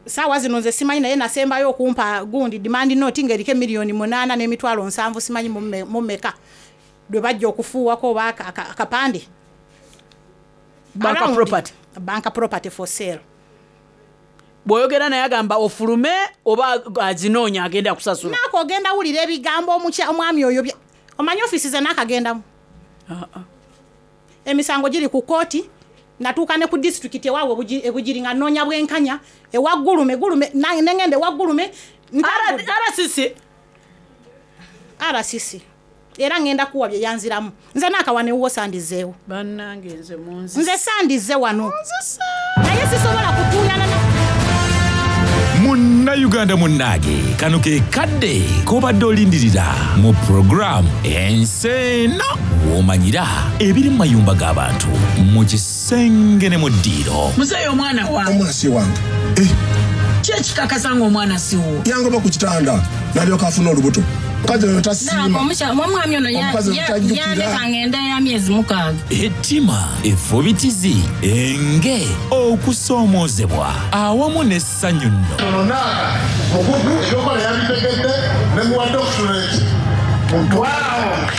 Saawa zino nze simanyi naye nasembayo okumpa gundi demand note ng'eriko emiliyoni 8 n'emitwalo 7 simanyi mu mmeka. Lwe bajja okufuuwako oba akapande. Banka Around property. Banka property for sale. Bw'oyogera naye agamba ofulume oba azinoonya agenda kusasula. Naaka ogenda wulira ebigambo omwami oyo omanyi ofiisi ze naakagendamu. Emisango giri ku kooti, natuuka ne ku disitulikiti ewaabwe ebugiri nga nnoonya bwenkanya, ewa Gulume, Gulume, nengenda ewa Gulume, RCC. RCC. Era ngenda kuwa bye yanziramu. Nze naakawa newuwo sandizeewo. Bannange nze munzise. Nze sandize wano. Naye sisobola kutuuyana na Munnayuganda munnange, kano ke kadde k'obadde olindirira mu puroguramu Ensi Eno w'omanyira ebiri mu mayumba g'abantu mu kisenge ne mu ddiiro. Muzeeyi omwana wange. Omwana si wange. Ki ekikakasa ng'omwana si wuwo? Yangoba ku kitanda n'alyoka afuna olubuto. Omukazi oyo tasiima. Omwami ono Omukazi oyo tajjukira. yandeka ng'enda ya myezi 6. Ettima, effubitizi, enge, okusoomoozebwa awamu n'essanyu nno. Ono Naaka mukugu ebyokola yabitegedde ne muwa doctorate. Wow!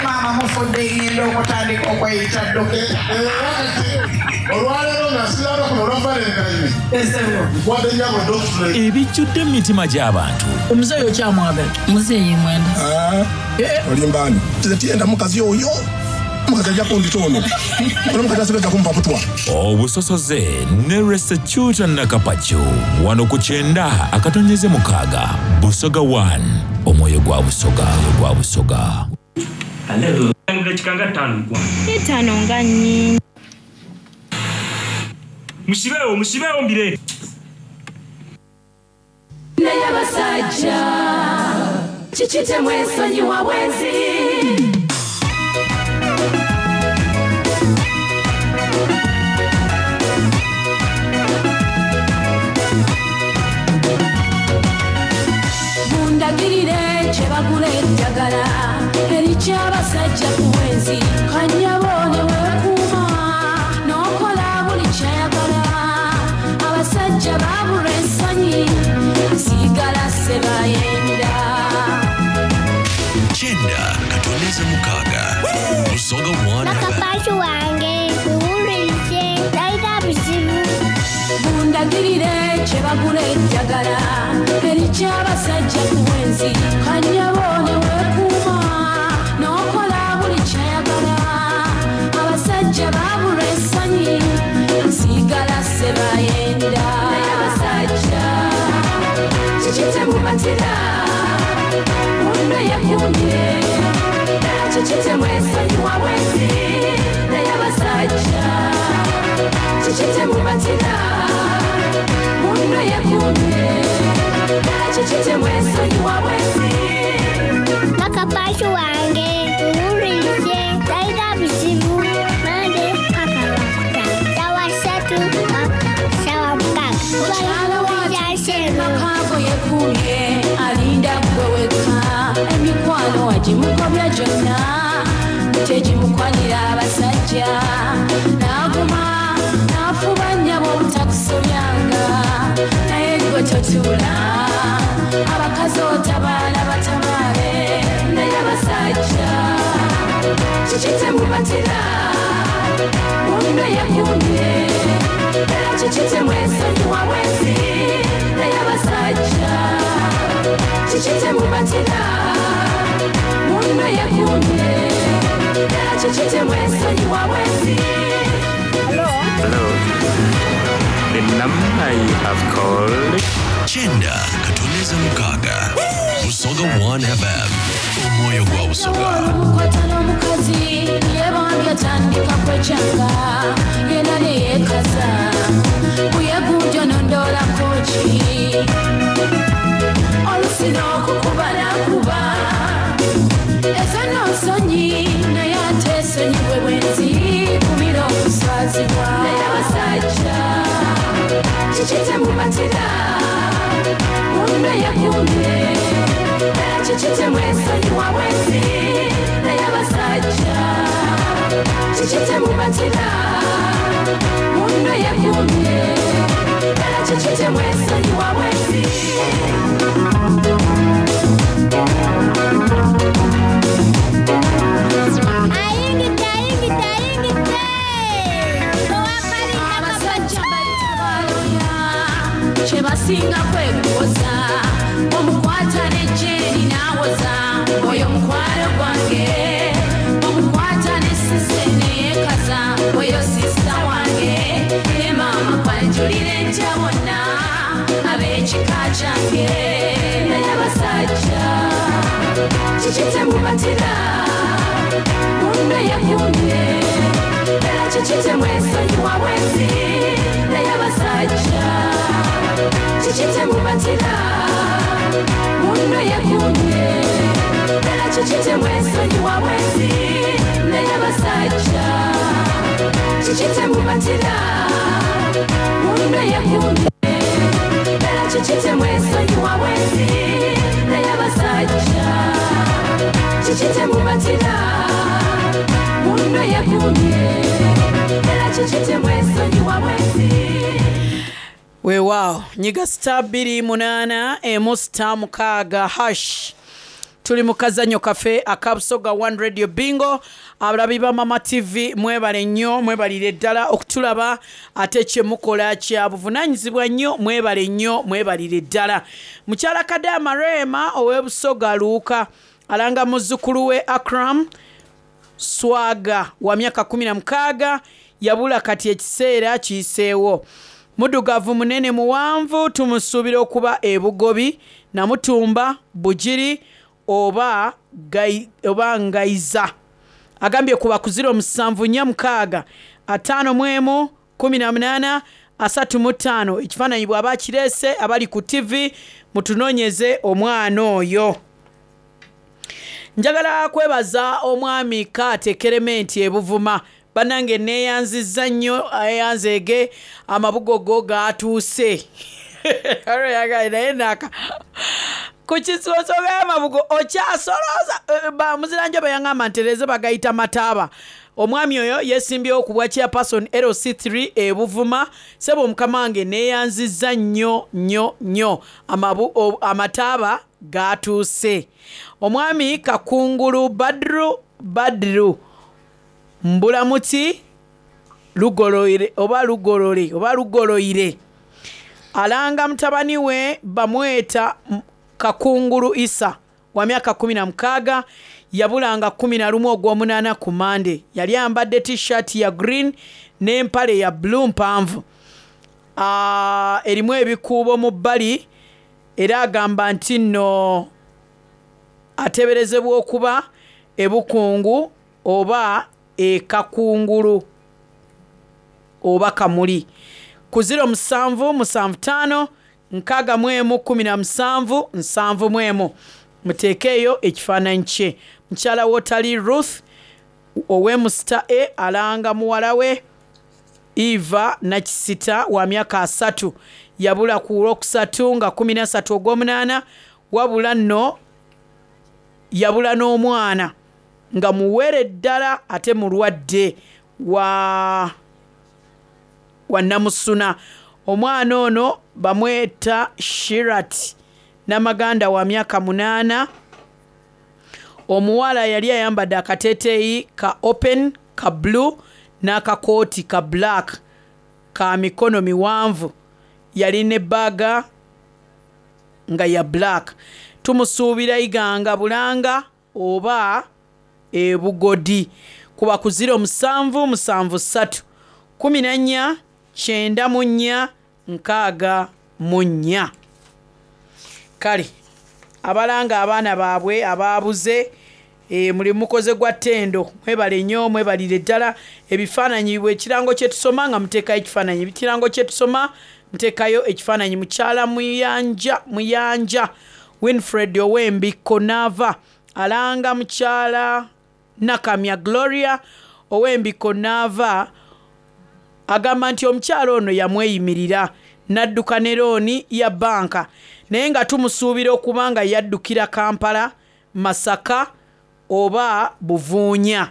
Maama mufudde ngenda okutandika okweyita dokita. Era kati olwaleero nga nsiraba kuno olwa Valentine. Nkwadde nnyabo doctorate. Ebijjudde mu mitima gy'abantu. Omuzeeyi okyamwagala? Muzeeyi mwenda. Olimba ani? Nze tiyenda mukazi oyo. Omukazi ajja kundita ono. Ono omukazi asigazza kumpa butwa. Obusosoze ne Resecuta Nakapacu wano ku 90.6 Busoga 1 omwoyo gwa Busoga, omwoyo gwa Busoga. Hello. Dakika nga ttaano mukwano. Ttaano nga nnyingi. Musibeewo, musibeewo mbireete. Naye abasajja kiki temwesonyiwa bwenzi? Mundagirire kye bagula eddagala erikyabasajja ku bwenzi. Kanyabo ne weekuuma n'okola buli ky'ayagala. Abasajja baabulwa ensonyi, asigala sebayenda. Kyenda katondeze mukaaga. Busoga 1 Nakapasi wange muwulirize, talina buzibu. Mundagirire kye bagula eddagala erikyabasajja ku bwenzi. Kanyabo ne weekuuma n'okola buli ky'ayagala. Abasajja baabulwa ensonyi, asigala sebayenda. Naye abasajja kiki temumatira? Munno yeekuumye, ddala kiki temwesonyiwa bwenzi? Naye abasajja kiki temumatira? Munno yeekuumye, ddala kiki temwesonyiwa bwenzi? Nakapasi wange muwulirize, talina buzibu. Mande paka lwakutaano, ssaawa 3 paka ssaawa 6. Mukyala wa Makago yekuumye, alinda ggwe wekka. Emikwano agimukobya gyonna, tegimukwanira abasajja. N'aguma n'afuba nnyabo obutakusobyanga. Naye ggwe totuula, abakazi otabaala batabaale. Naye abasajja kiki temumatira? Munno yekuumye, ddala kiki temwesonyiwa bwenzi? Naye abasajja kiki temumatira? Munno yekuumye, ddala kiki temwesonyiwa bwenzi? Hello. Hello. The number you have called. Kyenda katondeze mukaaga. Busoga 1 FM. Omwoyo gwa Busoga. Olukwata n'omukazi yebambye atandika kwekyanga, yena ne yeekaza. Buyegunjo nondoolako ki? Olusi n'okukuba n'akuba. Ezo nno nsonyi, naye ate esonyiwe bwenzi, kumira okuswazibwa. Naye abasajja kiki temumatira? Munno yekuumye, ddala kiki temwesonyiwa bwenzi? Naye abasajja kiki temumatira? Munno yekuumye, ddala kiki temwesonyiwa bwenzi? Ayingidde, ayingidde, ayingidde. Owakalinda Abasajja bayita baloya, kuwoza Omukwata ne Jane n'awoza Oyo mukwano gwange Omukwata ne Sise ne yeekaza Oyo sisita wange Ne maama kwanjulira ntya bonna Ab'ekika kyange Naye abasajja Kiki temubatira Munno yekumye Era kiki temwesonyiwa bwenzi Naye abasajja Kiki temubatira Munno yekumye Era kiki temwesonyiwa bwenzi Naye abasajja Kiki temubatira Munno yekumye Era kiki temwesonyiwa bwenzi Naye abasajja Kiki temubatira Munno yekumye Era kiki temwesonyiwa bwenzi Weewaawo nyiga star 28 emu star 6 hash. Tuli mu kazannyo kaffe aka Busoga One Radio Bingo. Abalabi ba Mama TV mwebale nnyo, mwebalire ddala okutulaba, ate kye mukola kya buvunaanyizibwa nnyo, mwebale nnyo, mwebalire ddala. Mukyala Kadaama Rema ow'e Busoga Luuka alanga muzzukulu we Akram Swaga wa myaka 16 yabula kati ekiseera kiyiseewo. Muddugavu munene muwanvu tumusuubira okuba e Bugobi, Namutumba, Bugiri oba Gai, oba Ngaiza. Agambye kuba ku 0746 51 18 35. Ekifaananyi bw'aba akireese abali ku TV mutunoonyeze omwana oyo. Njagala kwebaza omwami Kaate Kerementi e Buvuma. Bannange neeyanzizza nnyo, eyanzeege amabugo go gaatuuse. Naye naka ku kisonga y'amabugo okyasolooza. Muziranjo bwe yaŋŋamba ntereeze bagayita mataaba. Omwami oyo yeesimbyewo ku bwa chairperson LC3 e Buvuma. Ssebo mukama wange neeyanzizza nnyo nnyo nnyo, amataaba gaatuuse. Omwami Kakungulu Badru Badru Mbulamuti Lugoloire oba Lugolole oba Lugoloire alanga mutabani we bamweta Kakungulu Isa wa myaka 16 yabulanga 11 ogw'omunaana ku Mande. Yali ayambadde t-shirt ya green n'empale ya blue mpanvu, erimu ebikuubo mu bbali, era agamba nti nno ateeberezebwa okuba e Bukungu oba e Kakungulu oba Kamuli. Ku 0775 61 17 71 muteekeeyo ekifaananyi kye. Mukyala Wotali Ruth ow'e Musita A alanga muwala we Eva Nakisita wa myaka 3 yabula ku Lwokusatu nga 13 ogw'omunaana, wabula nno yabula n'omwana nga muwere ddala ate mulwadde wa Namusuna. Omwana ono bamweta Shirat Namaganda wa myaka 8. Omuwala yali ayambadde akateeteeyi ka open ka blue n'akakooti ka black ka mikono miwanvu, yalina ebbaaga nga ya black. Tumusuubira Iganga Bulanga oba e Bugodi. Kuba ku 0773 14 94 64. Kale abalanga abaana baabwe abaabuze, mulimu mukoze gwa ttendo, mwebale nnyo, mwebalire ddala. Ebifaananyi bwe ekirango kye tusoma nga muteekayo ekifaananyi, ekirango kye tusoma muteekayo ekifaananyi. Mukyala Muyanja Muyanja Winfred ow'Embikko Naava alanga mukyala Nakamya Gloria ow'Embikko Naava, agamba nti omukyala ono yamweyimirira n'adduka ne looni ya bbanka, naye nga tumusuubira okuba nga yaddukira Kampala, Masaka oba Buvuunya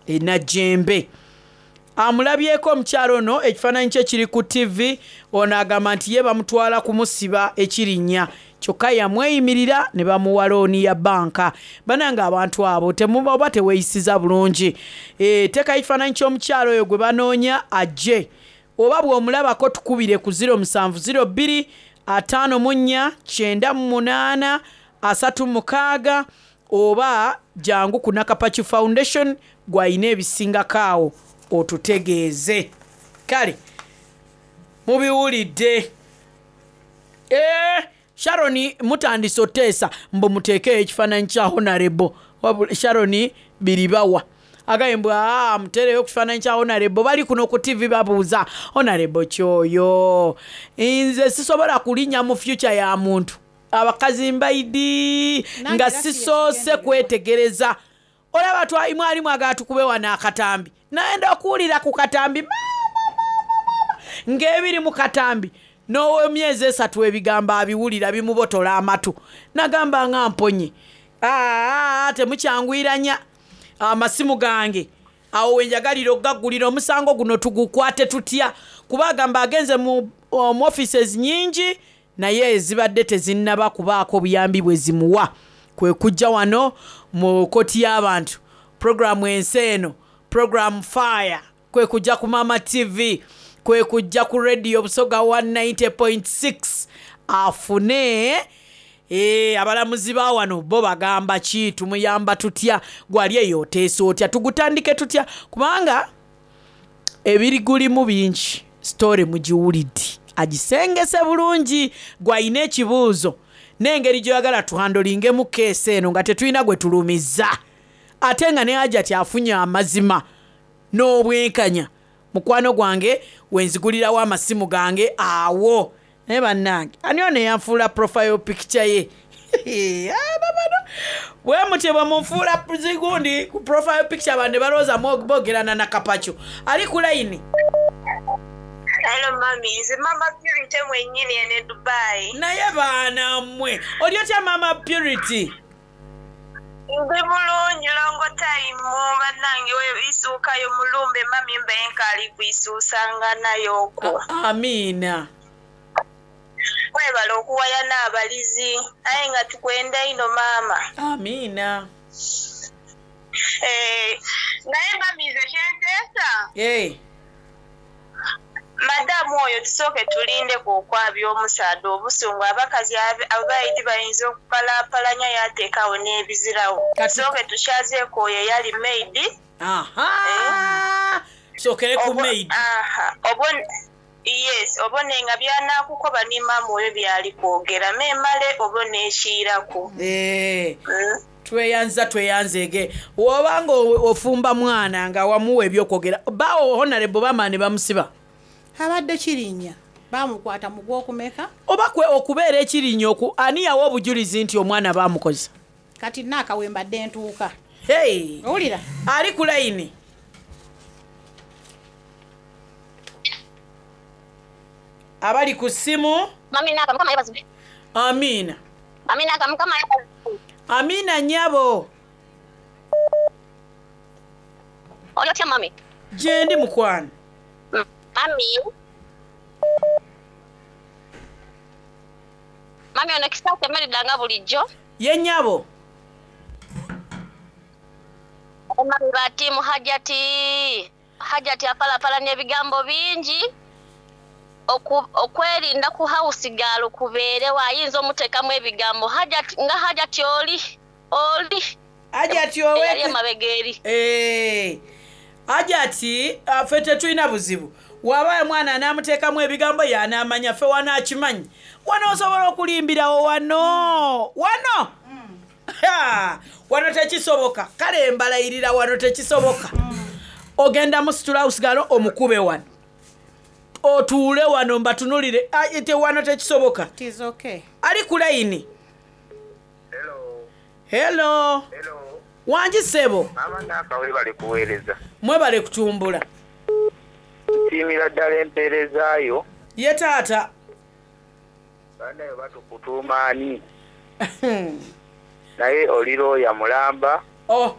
e Najjembe. Amulabyeko omukyala ono, ekifaananyi kye kiri ku TV. Ono agamba nti ye bamutwala kumusiba ekirinnya, kyokka yamweyimirira ne bamuwa looni ya bbanka. Bannange abantu abo temuba oba teweeyisiza bulungi. Teekayo ekifaananyi ky'omukyala oyo gwe banoonya ajje, oba bw'omulabako tukubire ku 0702 54 98 36 oba jangu ku Nakapachi Foundation gwalina ebisingako awo otutegeeze. Kale mubiwulidde. Eh, Sharon mutandise oteesa mbu muteekeyo ekifaananyi kya Honorable. Wabula Sharon biribawa agambye mbu aa muteereyo ku kifaananyi kya Honorable, bali kuno ku TV babuuza Honorable kyoyo. Nze sisobola kulinnya mu future ya muntu. Abakazi mbaidi Nange nga era si sisoose ekigendererwa. kwetegereza. Olaba mwali mwagala tukube wano akatambi, nayenda okuwulira ku katambi ng'ebiri mu katambi n'ow'emyezi 3 ebigambo abiwulira bimubotola amatu, nagamba nga mponye. Aa, temukyanguyiranya amasimu gange awo wenjagalira okugaggulira omusango guno tugukwate tutya, kuba agamba agenze mu offices nyingi naye ezibadde tezinnaba kubaako buyambi bwe zimuwa, kwe kujja wano mu kkooti y'abantu programu ensi eno, program fire, kwe kujja ku Mama TV, kwe kujja ku radio Busoga 190.6 afune abalamuzi ba wano bo bagamba ki, tumuyamba tutya, gwali eyo oteesa otya, tugutandike tutya, kubanga ebirigulimu bingi. Story mugiwulidde, agisengese bulungi, gwalina ekibuuzo n'engeri gy'oyagala tuhandolingemu keesi eno nga tetulina gwe tulumizza, ate nga ne Hajati afunye amazima n'obwenkanya. Mukwano gwange wenzigulirawo amasimu gange awo. Naye bannange, ani ono eyanfuula profile picture ye? Bano bwe mutyo bwe munfuula zigundi ku profile picture, abantu ne balowooza boogerana na Kapacho. Ali ku layini. Hello mami, nze Mama Purity mwennyini ene Dubai. Naye baana mmwe, oli otya Mama Purity? Ndi bulungi, longo time bannange, isuukayo mulumbe mami mbe nkaali kuisuusanga nayo okwo. Amiina. Mwebale okuwaya n'abalizi, aye nga tukwenda ino maama. Amiina. Naye mami nze kyenteesa. Madamu oyo tusooke tulindeko okwabya omusaadha obusungu, abakazi abaidi bayinza okupalaapalanya yateekawo n'ebizirawo. Tusooke tukyazeeko oyo eyali maid. Aha! Tusookere ku maid. Aha, yes, obone nga by'anaakukoba ni maama oyo byali kwogera, memale obone ekiiraku. Tweyanza tweyanzeege. Bw'obanga ofumba mwana nga wamuwa ebyokwogera, bawo Honorable bamala ne bamusiba. Abadde kirinnya, bamukwata mu gw'okumeka. Oba kwe okubeera ekirinnya oku, ani yawa obujulizi nti omwana baamukozesa? Kati nnaakawe mbadde ntuuka. Hey. Owulira? Ali ku layini. Abali ku ssimu. Mami Naka, Mukama yeebazibwe. Amiina. Mami Naka, Mukama yeebazibwe. Amiina nnyabo. Oli otya mami? Gyendi mukwano. Mami. Mami ono Kisakye Merida nga bulijjo. Ye nnyabo. Mami ba ttiimu Hajati. Hajati apalapalanya ebigambo bingi. Okwerinda ku house girl kubeerewo, ayinza omuteekamu ebigambo. Hajati, nga Hajati oli, oli. Hajati owe- Eyali emabega eri. Hajati, ffe tetulina buzibu. Waba omwana anaamuteekamu ebigambo y'anaamanya, ffe wano akimanyi. Wano osobola okulimbirawo wano. Wano! Ha! Wano tekisoboka. Kale mbalayirira wano tekisoboka. Ogenda musitula house girl omukube wano. Otuule wano mbatunulire. Ai, te wano tekisoboka. It is okay. Ali ku layini. Hello. Wangi ssebo. Mama Naka webale kuweereza. Mwebale kutumbula. Nsiimira ddala empeerezaayo. Ye taata. Bannaye batukutuuma ani? Naye oli looya mulamba. Oh.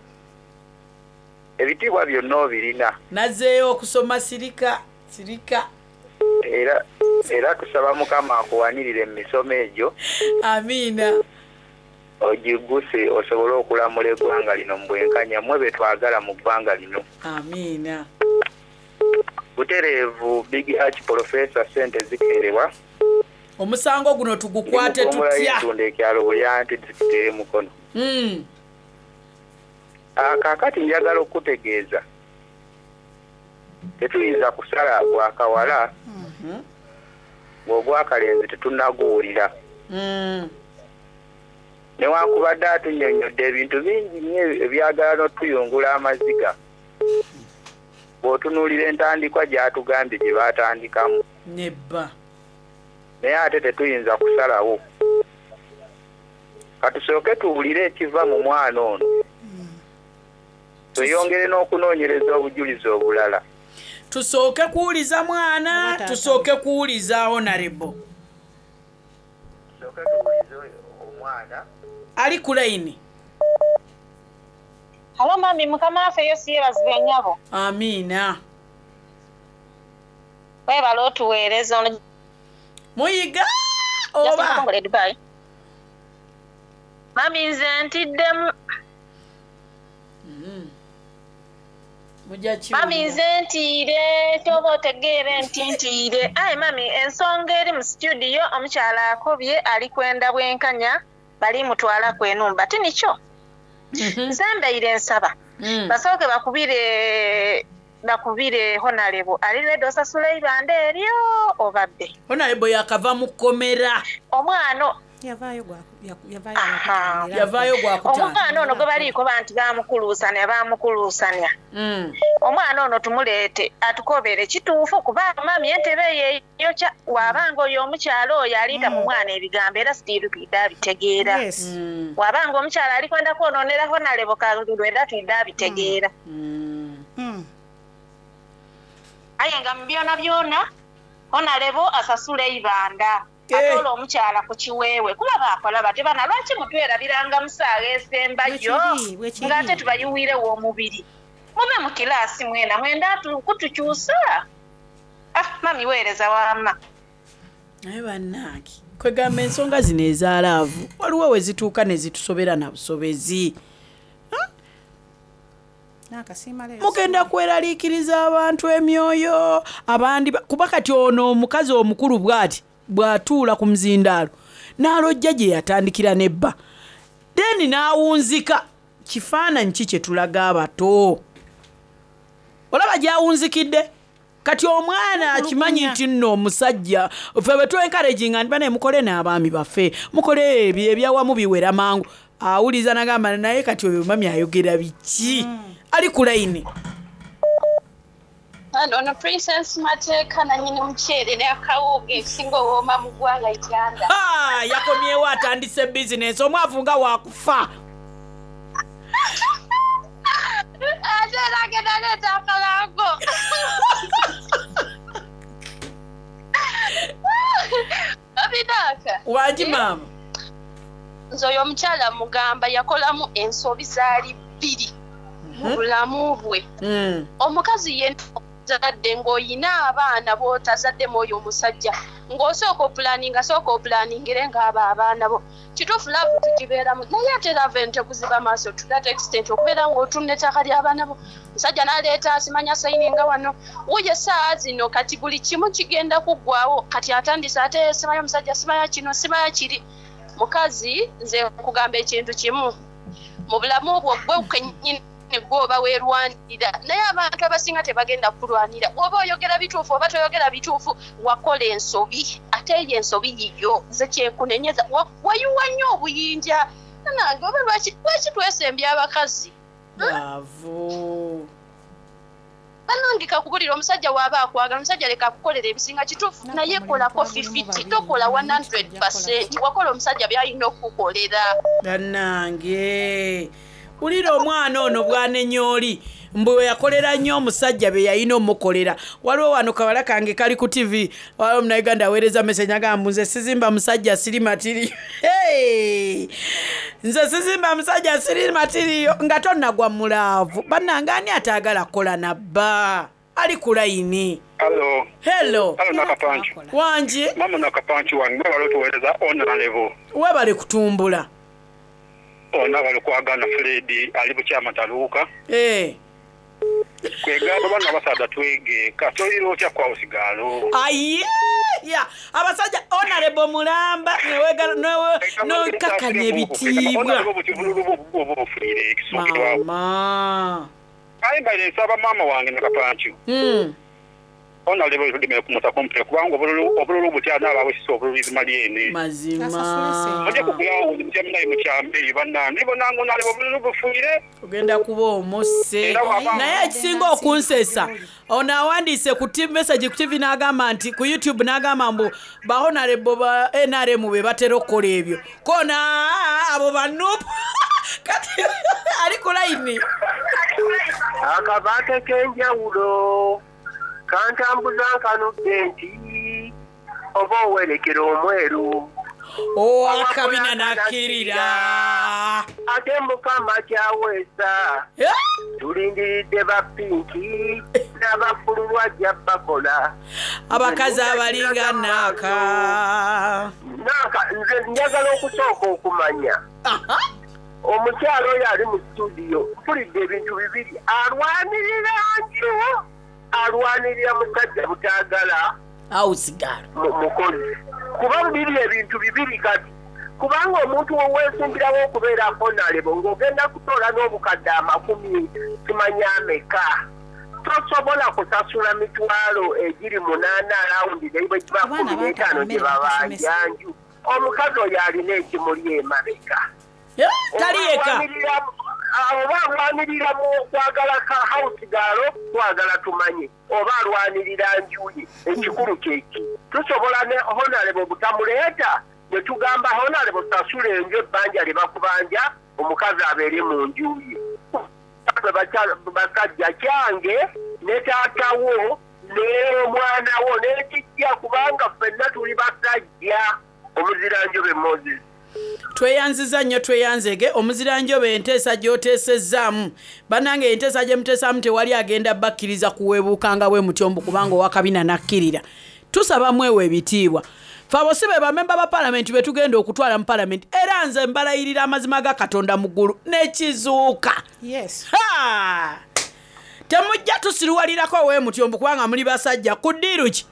Ebitiibwa byonna obirina. Nazzeeyo okusoma sirika, sirika. Era tusaba Mukama akuwanirire mu misomo egyo. Amiina. Ogiguse osobole okulamula eggwanga lino mu bwenkanya, mmwe be twagala mu ggwanga lino. Amiina. Butereevu Big Arch Professor ssente zikeerewa. Omusango guno tugukwate tutya? Yentunda ekyalo Bulyanti, disitulikiti ey'e Mukono. Kaakati njagala okukutegeeza tetuyinza kusala gwa kawala ng'ogwakalenzi tetunnaguwulira. Newankubadde atunnyonnyodde ebintu bingi nnyo ebyagala n'otuyungula amaziga, bw'otunuulira entandikwa gy'atugambye gye baatandikamu. Nebba. Naye ate tetuyinza kusalawo. Katusooke tuwulire ekiva mu mwana ono, tweyongere n'okunoonyereza obujulizi obulala. Tusooke kuwuliza mwana, tusooke kuwuliza honorable. Tusooke tuwulize omwana. Ali ku layini. Halo mami, mukama waffe Yesu yeebazibwe nnyabo. Amiina. Weebale otuweereza ono. Muyiga oba? Dubai. Mami nze ntiddemu. Mujja Mami nze ntiire kyoba otegeere nti ntiire. Aye mami ensonga eri mu situdiyo omukyala akobye ali kwenda bwenkanya bali mutwala ku enumba ti nikyo. Nze mbaire nsaba basooke bakubire honalebo ali ready osasula eibanda eryo obabbe. Honorable yakava mu kkomera. Omwana Yavaayo Yavaayo gwakutaano. Omwana ono gwe baliiko nti baamukuluusanya. Omwana ono tumuleete atukobere kituufu kuba mami entebe eyo eyokya wabanga oyo omukyala oyo aliita mu mwana ebigambo era sitiiru twidde abitegeera. Wabanga omukyala ali kwenda kwonoonera honalebo kalulu era twidde abitegeera. Aye nga mu byona byona honalebo asasula eibanda ate olwo omukyala ku kiweewe kuba baakola bate bana lwaki mutwerabiranga musaaga esembayo Bwekiri, bwekiri. ng'ate tubayiwirewo omubiri mube mu kilaasi mwena mwenda kutukyusa. Ah mami weereza wamma. Naye bannange kwegamba ensonga zino ezaalaavu waliwo we zituuka ne zitusobera na busobezi. Nakasiima leero. Mugenda kweraliikiriza abantu emyoyo abandi kuba kati ono omukazi omukulu bw'ati bw'atuula ku muzindaalo n'alojja gye yatandikira nebba then n'awunzika. Kifaananyi ki kye tulaga abato? Olaba gy'awunzikidde kati omwana akimanyi nti nno omusajja ffe bwe twencouraginga nti bane mukole n'abaami baffe mukole ebyo ebyawamu biwera mangu awuliza nagamba naye kati oyo mami ayogera biki ali ku layini. Ono Princess Mateeka nannyini muceere n'akawunga ekisinga owooma mu ggwanga Uganda. Ah, yakomyewo atandise bizinensi omwavu nga wakufa. Ate era agenda aleeta akalango. Obinaaka. Wangi maama. Nze oyo omukyala mugamba yakolamu ensobi zaali bbiri mu bulamu bwe. Omukazi yenna ozadde ng'oyina abaana b'otazaddemu oyo omusajja ng'osooka opulaninga sooka opulaningire ng'abo abaana bo. Kituufu laavu tugibeeramu naye ate laavu eno tekuziba maaso to that extent okubeera ng'otunda ettaka ly'abaana bo. Omusajja n'aleeta simanya sayininga wano wuuyo essaawa zino kati buli kimu kigenda kuggwawo kati atandise ate simanya omusajja simanya kino simanya kiri. Mukazi nze nkugamba ekintu kimu mu bulamu bwo gwe kennyini gwe oba weerwanirira naye abantu abasinga tebagenda kukulwanira oba oyogera bituufu oba toyogera bituufu wakola ensobi ate eyo ensobi yiyo nze kyenkunenyeza wayiwa nnyo obuyinja nange oba lwaki twesembya abakazi Bwavu. bannange kakubulira omusajja waaba akwagala omusajja leka akukolera ebisinga kituufu naye kolako 50 tokola 100% wakola omusajja by'alina okukukolera. Bannange wulira omwana ono bwanenya oli mbu we yakolera nnyo omusajja be yalina omukolera. Waliwo wano kawala kange kali ku TV waliwo omunauganda aweereza message agamba nze sizimba musajja siri matiriyo. Hey! Nze sizimba musajja siri matiriyo nga tonnagwa mulaavu. Bannange ani ataagala kukola nabba ali ku layini. Hello. Hello. Hello Nakapanchi. Wangi. Mama Nakapanchi wange mwebale otuweereza honorable. Webale kutumbula. Ono abali kwagana Fred ali bukyama taluuka. Kwegamba bano abasaadha twege kati olira otya ku hausigaalo ayeya abasajja onarebo mulamba nokakanya ebitiibwa. Buti bululu bwo oba obufuire ekisookerwawo. Mama. Aye mbaire nsaba maama wange nakapancu onalebo tudimire kumusa kumpe kubanga obululu obululu buti anaabawesisa obululu izima lyene. Mazima. Mujja kugulawo mutya munaye mukyambe eyo bannange ndibonanga onalebo obululu bufuire. Ogenda kuba omusse. Naye ekisinga okunsesa, ono awandiise ku message ku TV n'agamba nti ku YouTube n'agamba mbu ba honorable ba NRM be batera okukola ebyo, kona abo ba NUP. Kati ali ku layini. Akabaate k'enjawulo kantambuza nkanudde nti oba owerekera omweru. Owakabina nakkirira. Ate mukama kyaweesa, tulindiridde ba pinki n'ababbululu ajja bakola. Abakazi abalinga naaka. Naaka, nze njagala okusooka okumanya omukyalo oyo ali mu studio. Mpulidde ebintu bibiri: alwanirira nju, alwanirira musajja butaagala awusigala mukozi. Kuba biri ebintu bibiri kati, kubanga omuntu weweesimbirawo okubeera honorable ng'ogenda kutoola n'obukadde 100 simanya ameka, tosobola kusasula mitwalo egiri 8 arawundi naye bwe giba 15 gye babanja nju. Omukazi oyo alina ekimuli emabega. Tali yekka. Oba alwanirira mu kwagala ka house gaalo, twagala tumanye oba alwanirira njuye. Ekikulu kyeki, tusobola ne honorable butamuleeta ne tugamba honorable sasula enju ebbanja lye bakubanja, omukazi abeere mu nju ye. Basajja, kyange ne taatawo n'omwana wo n'ekijja, kubanga ffenna tuli basajja. Omuziranjobe Moses. Tweyanziza nnyo, tweyanzege omuziranjobe. Enteesa gy'oteesezzaamu, bannange, enteesa gye muteesaamu, tewali agenda bakkiriza kuweebuukanga bwe mutyo mbu kubanga owakabina nakkirira. Tusaba mwewa ebitiibwa. Fe abo si be bamemba ba palamenti be tugenda okutwala mu palamenti. Era nze mbalayirira amazima ga Katonda mu ggulu n'ekizuuka. Ha! Temujja tusiruwalirako we mutyo mbu kubanga muli basajja. Ku ddiiru ki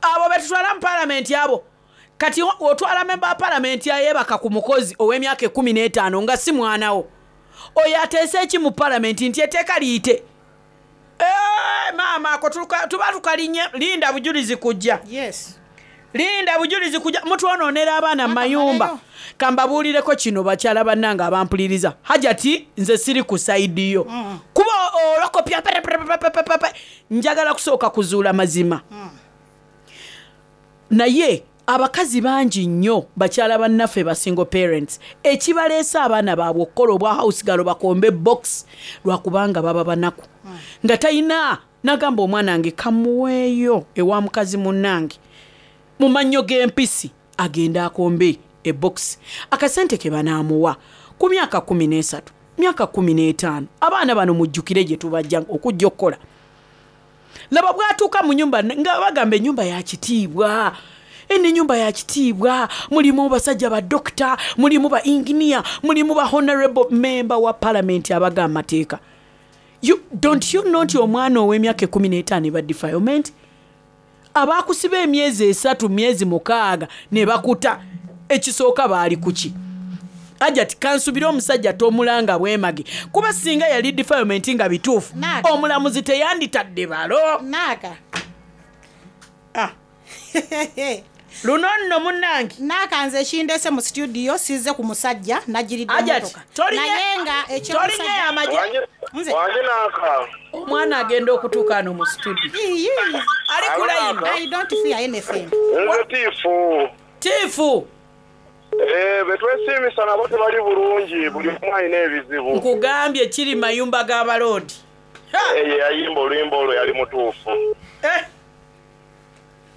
abo be tutwala mu palamenti? Abo kati otwala memba wa palamenti ayeebaka ku mukozi ow'emyaka 15 nga si mwanawo, oyo ateese eki mu palamenti nti etteeka liyite? Maama, ako tuba tukalinye. Linda bujulizi kujja. Linda bujulizi kujja. Mutwonoonera abaana mu mayumba. Kambabuulireko kino, bakyala bannange abampuliriza, Hajati, nze siri ku side yo kuba olokopya pereperepepepepe. Njagala kusooka kuzuula mazima, naye abakazi bangi nnyo, bakyala bannaffe ba single parents, ekibaleese abaana baabwe okukola obwa house girl, bakombe box, lwakubanga baba banaku nga talina nagamba omwana wange kamuweeyo ewa mukazi munnange mu mannyo g'empisi agende akombe ebox, akasente ke banaamuwa ku myaka 13, myaka 15. Abaana bano mujjukire gye tubajja okujja okukola. Laba bw'atuuka mu nyumba nga bagamba ennyumba ya kitiibwa, eno ennyumba ya kitiibwa, mulimu basajja ba dokita, mulimu ba inginiya, mulimu ba honorable member wa parliament abaga amateeka. You, don't you know nti omwana ow'emyaka 15 ba defilement abakusiba emyezi 3, myezi 6 ne bakuta? Ekisooka baali kuki? Ajati kansubire omusajja tomulanga bwemage, kuba singa yali defilement nga bituufu, omulamuzi teyanditadde balo. Naaka. Ah. Luno nno munnange. Naaka, nze ekindese mu studio sizze ku musajja, nagiridde Ajati, motoka, naye nga tolinye amagye. Nze. Wange Naaka. Omwana agenda okutuuka ano mu studio ali ku layini. I don't fear anything. Nze Tiifu. Tiifu. Eh, betwesiimisa nabo tebali bulungi, buli omu alina ebizibu. Nkugambye kiri mayumba g'abaloodi. Ye yayimba oluyimba olwo yali mutuufu.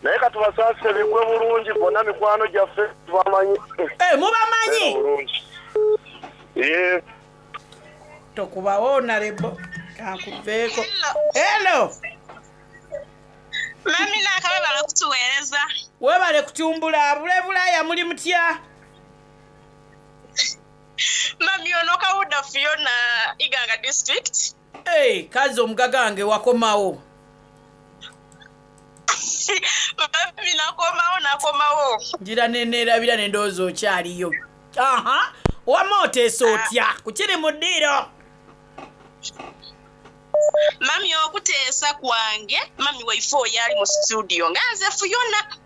Naye katubasaasire, bigwe bulungi bonna mikwano gyaffe tubamanyi. Mubamanyi? Bulungi. Ye. Tokubawo narebo kankuveeko. Elo. Mami Naaka, webale okutuweereza. Webale kutumbula bulebulaya. Muli mutya? Mami, ono Kawuda Fiona, Iganga district. Hey, kazi omugaga wange wakomawo. Mami nakomawo nakomawo. Ngira neneerabira nendowooza okyaliyo. Aha, wamma oteesa otya ku kiri mu ddiiro? Mami okuteesa kwange mami waife oyo ali mu studio nga nze Fuyona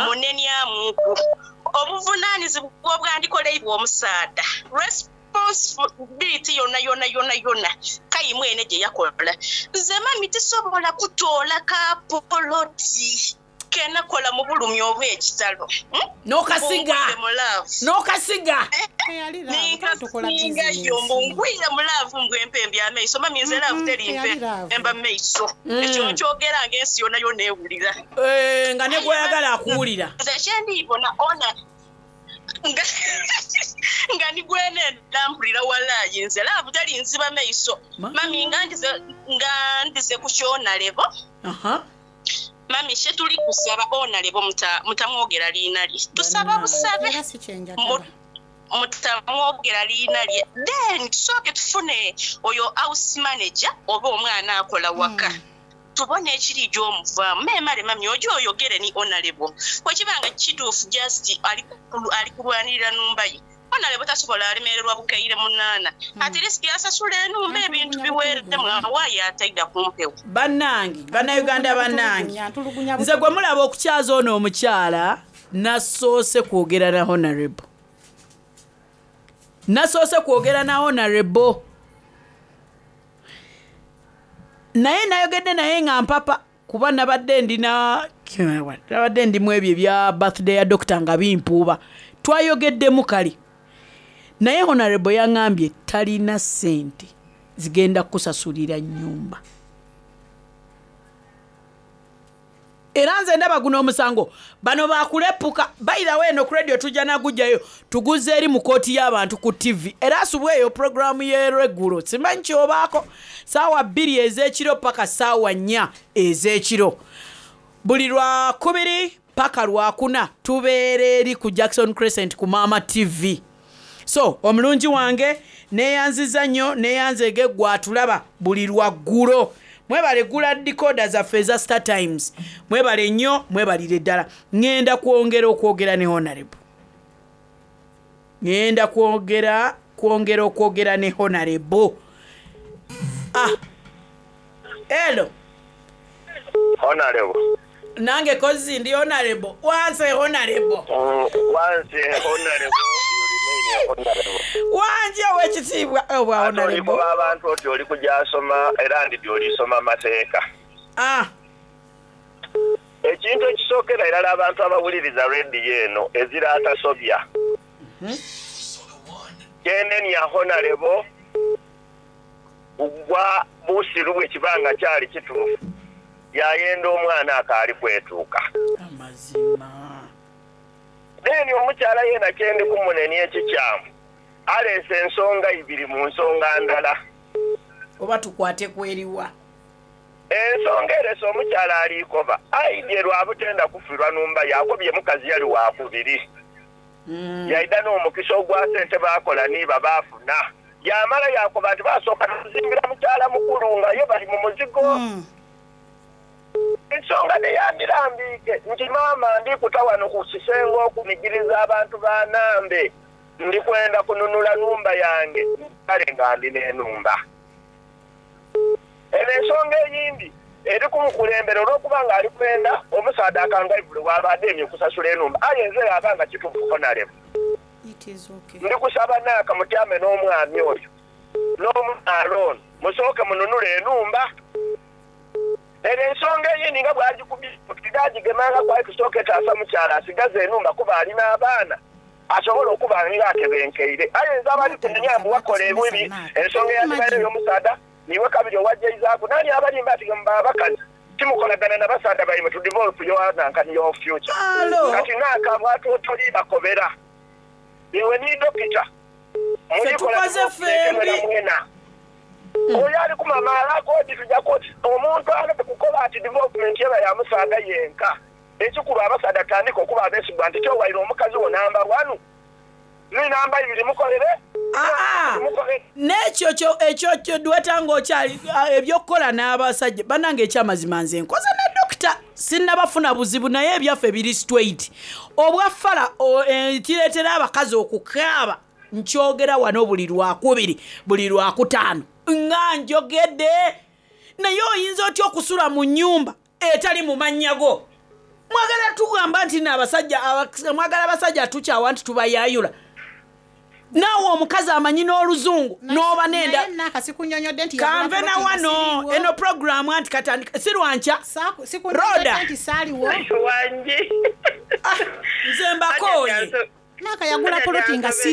munenyamuku obuvunaanyizibwa obwandikoleibwa omusaadha responsibility yona yona yona yona kayi mwene gye yakola nze mami tisobola kutoola ka poloti kenakola mu bulumi obw'ekitalo. N'okasiga. Mbungwire mu love. N'okasiga. Ninkasingayo mbu ngwire mu laavu mbw empembe amaiso mami nze laavu teri mpemba maiso. Ekyo nkyogera ng'ensi yona yona ewulira. Eh, nga ne gw'oyagala akuwulira. Nze kyendibona ona nga nga nigwene ndampulira walaayi nze laavu teri nziba maiso mami nga ndize nga ndize ku kyonalebo. Aha. Mami kye tuli kusaba onalebo mutamwogera liina lye tusaba busabe mutamwogera liina lye then tusooke tufune oyo house manager oba omwana akola waka tubone ekiri gy'omuvaamu memale mami ojo oyogere ni onalebo bwekiba nga kituufu just ali ali kulwanirira numba ye onalebo tasobola alemererwa bukaire munaana at least asasula enumba ebintu biweremu awaayo ataida kumpewo. Bannange bannayuganda bannange nze gwe mulaba okukyaza ono omukyala nasoose kwogera na honorable nasoose kwogera na honorable naye nayogedde naye nga mpapa kuba nabadde ndina nabadde ndimu ebyo ebya birthday ya dokita nga bimpuuba twayogeddemu kale naye honorable yaŋŋambye talina ssente zigenda kukusasulira nnyumba era nze ndaba guno omusango bano bakulepuka bayirawo eno ku radio tujja nagujjayo tuguze eri mu kooti y'abantu ku tv era asubwa eyo puroguramu y'erweggulo simanyi kyobaako saawa 2 ez'ekiro paka saawa 4 ez'ekiro buli lwakubiri paka lwakuna tubeera eri ku Jackson Crescent ku Maama TV so omulungi wange neyanziza nnyo neyanzege gwatulaba buli lwaggulo mwebale gula decoder zaffe eza Star Times mwebale nnyo mwebalire ddala ŋŋenda kwongera okwogera ne honorable ŋŋenda kwogera kwongera okwogera ne honorable ah elo Honorable. Nange kozi ndi honorable wanse honorable. Once a honorable, you remain a honorable. Wanje owekitiibwa obwa Ate oli honorable kuba abantu oti oli kujasoma era ndidi olisoma amateeka. Ah. Ekintu ekisookera irala abantu abawuliriza rediyo eno ezira atasobya. Kyenenya honorable gwa busiru bwe kibanga kyali kituufu yayenda omwana akaali kwetuuka. Then omukyala yena kyendi kumunenya ekikyamu aleese ensonga ibiri mu nsonga ndala. Oba tukwate kweriwa. Ensonga erese omukyala aliikoba aidye lwabutenda kufirwa numba yakobye mukazi yali wakubiri yaida n'omukisa ogwa sente bakola niba baafuna yamala yakoba nti basooka tuzimbira mukyala mukulu nga ye bali mu muzigo. Ensonga neyamirambiike nti maama ndikuta wano ku kisenge okunigiriza abantu banambe ndikwenda kununula numba yange kale nga ndi n'enumba eno ensonga eyindi eri kumukulembera olw'okuba nga ali kwenda omusaadha akangaivule waba ademye okusasula enumba aye nze yaba nga kituufu honarebo ndi kusaba naaka mutyame n'omwami oyo n'omukyala ono musooke mununule enumba eno ensonga eyindi nga bwagikubigagigemanga kwali tusooke etaasa mukyala asigaze enumba kuba alina abaana asobola okuba nga atebenkeire aye nze abali kunenya mbu wakola ebibi ensonga eyatibaire ey'omusaadha niwe kabiri owajjaizaaku nani abalimba ati mba abakazi timukolagana na basaadha baimwe to develop your nankani your future. Kati naaka bwatotoli bakobera iwe ni dokita tukoze ffembi. Mwena oyo ali kumamala koti tujja koti omuntu aleke kukoba ati development yeba ya musaadha yenka ekikulu abasaadha tandika okuba abeesigwa nti kyowaire omukazi wo namba wanu. Ni namba ibiri mukolere. N'ekyo kyo ekyo kyo dweta ng'okyali ebyokukola n'abasajja bannange ekyamazima nze nkoze ne dokita sinnabafuna buzibu naye ebyaffe biri straight obwa fala kireetera abakazi okukaaba nkyogera wano buli lwakubiri buli lwakutaano nga njogedde naye oyinza otya okusula mu nnyumba etali mu mannya go mwagala tugamba nti no abasajja mwagala abasajja tukyawa nti tubayayula naawe omukazi amanyi n'oluzungu n'oba nenda Naye naka sikunyonyodde nti yagula kanve na ploti nga wano siriiwo. eno puroguramu anti katandika si lwankya Sikunyonyodde roda nti saaliwo. nze mbakooye Naka yagula poloti nga siriiwo.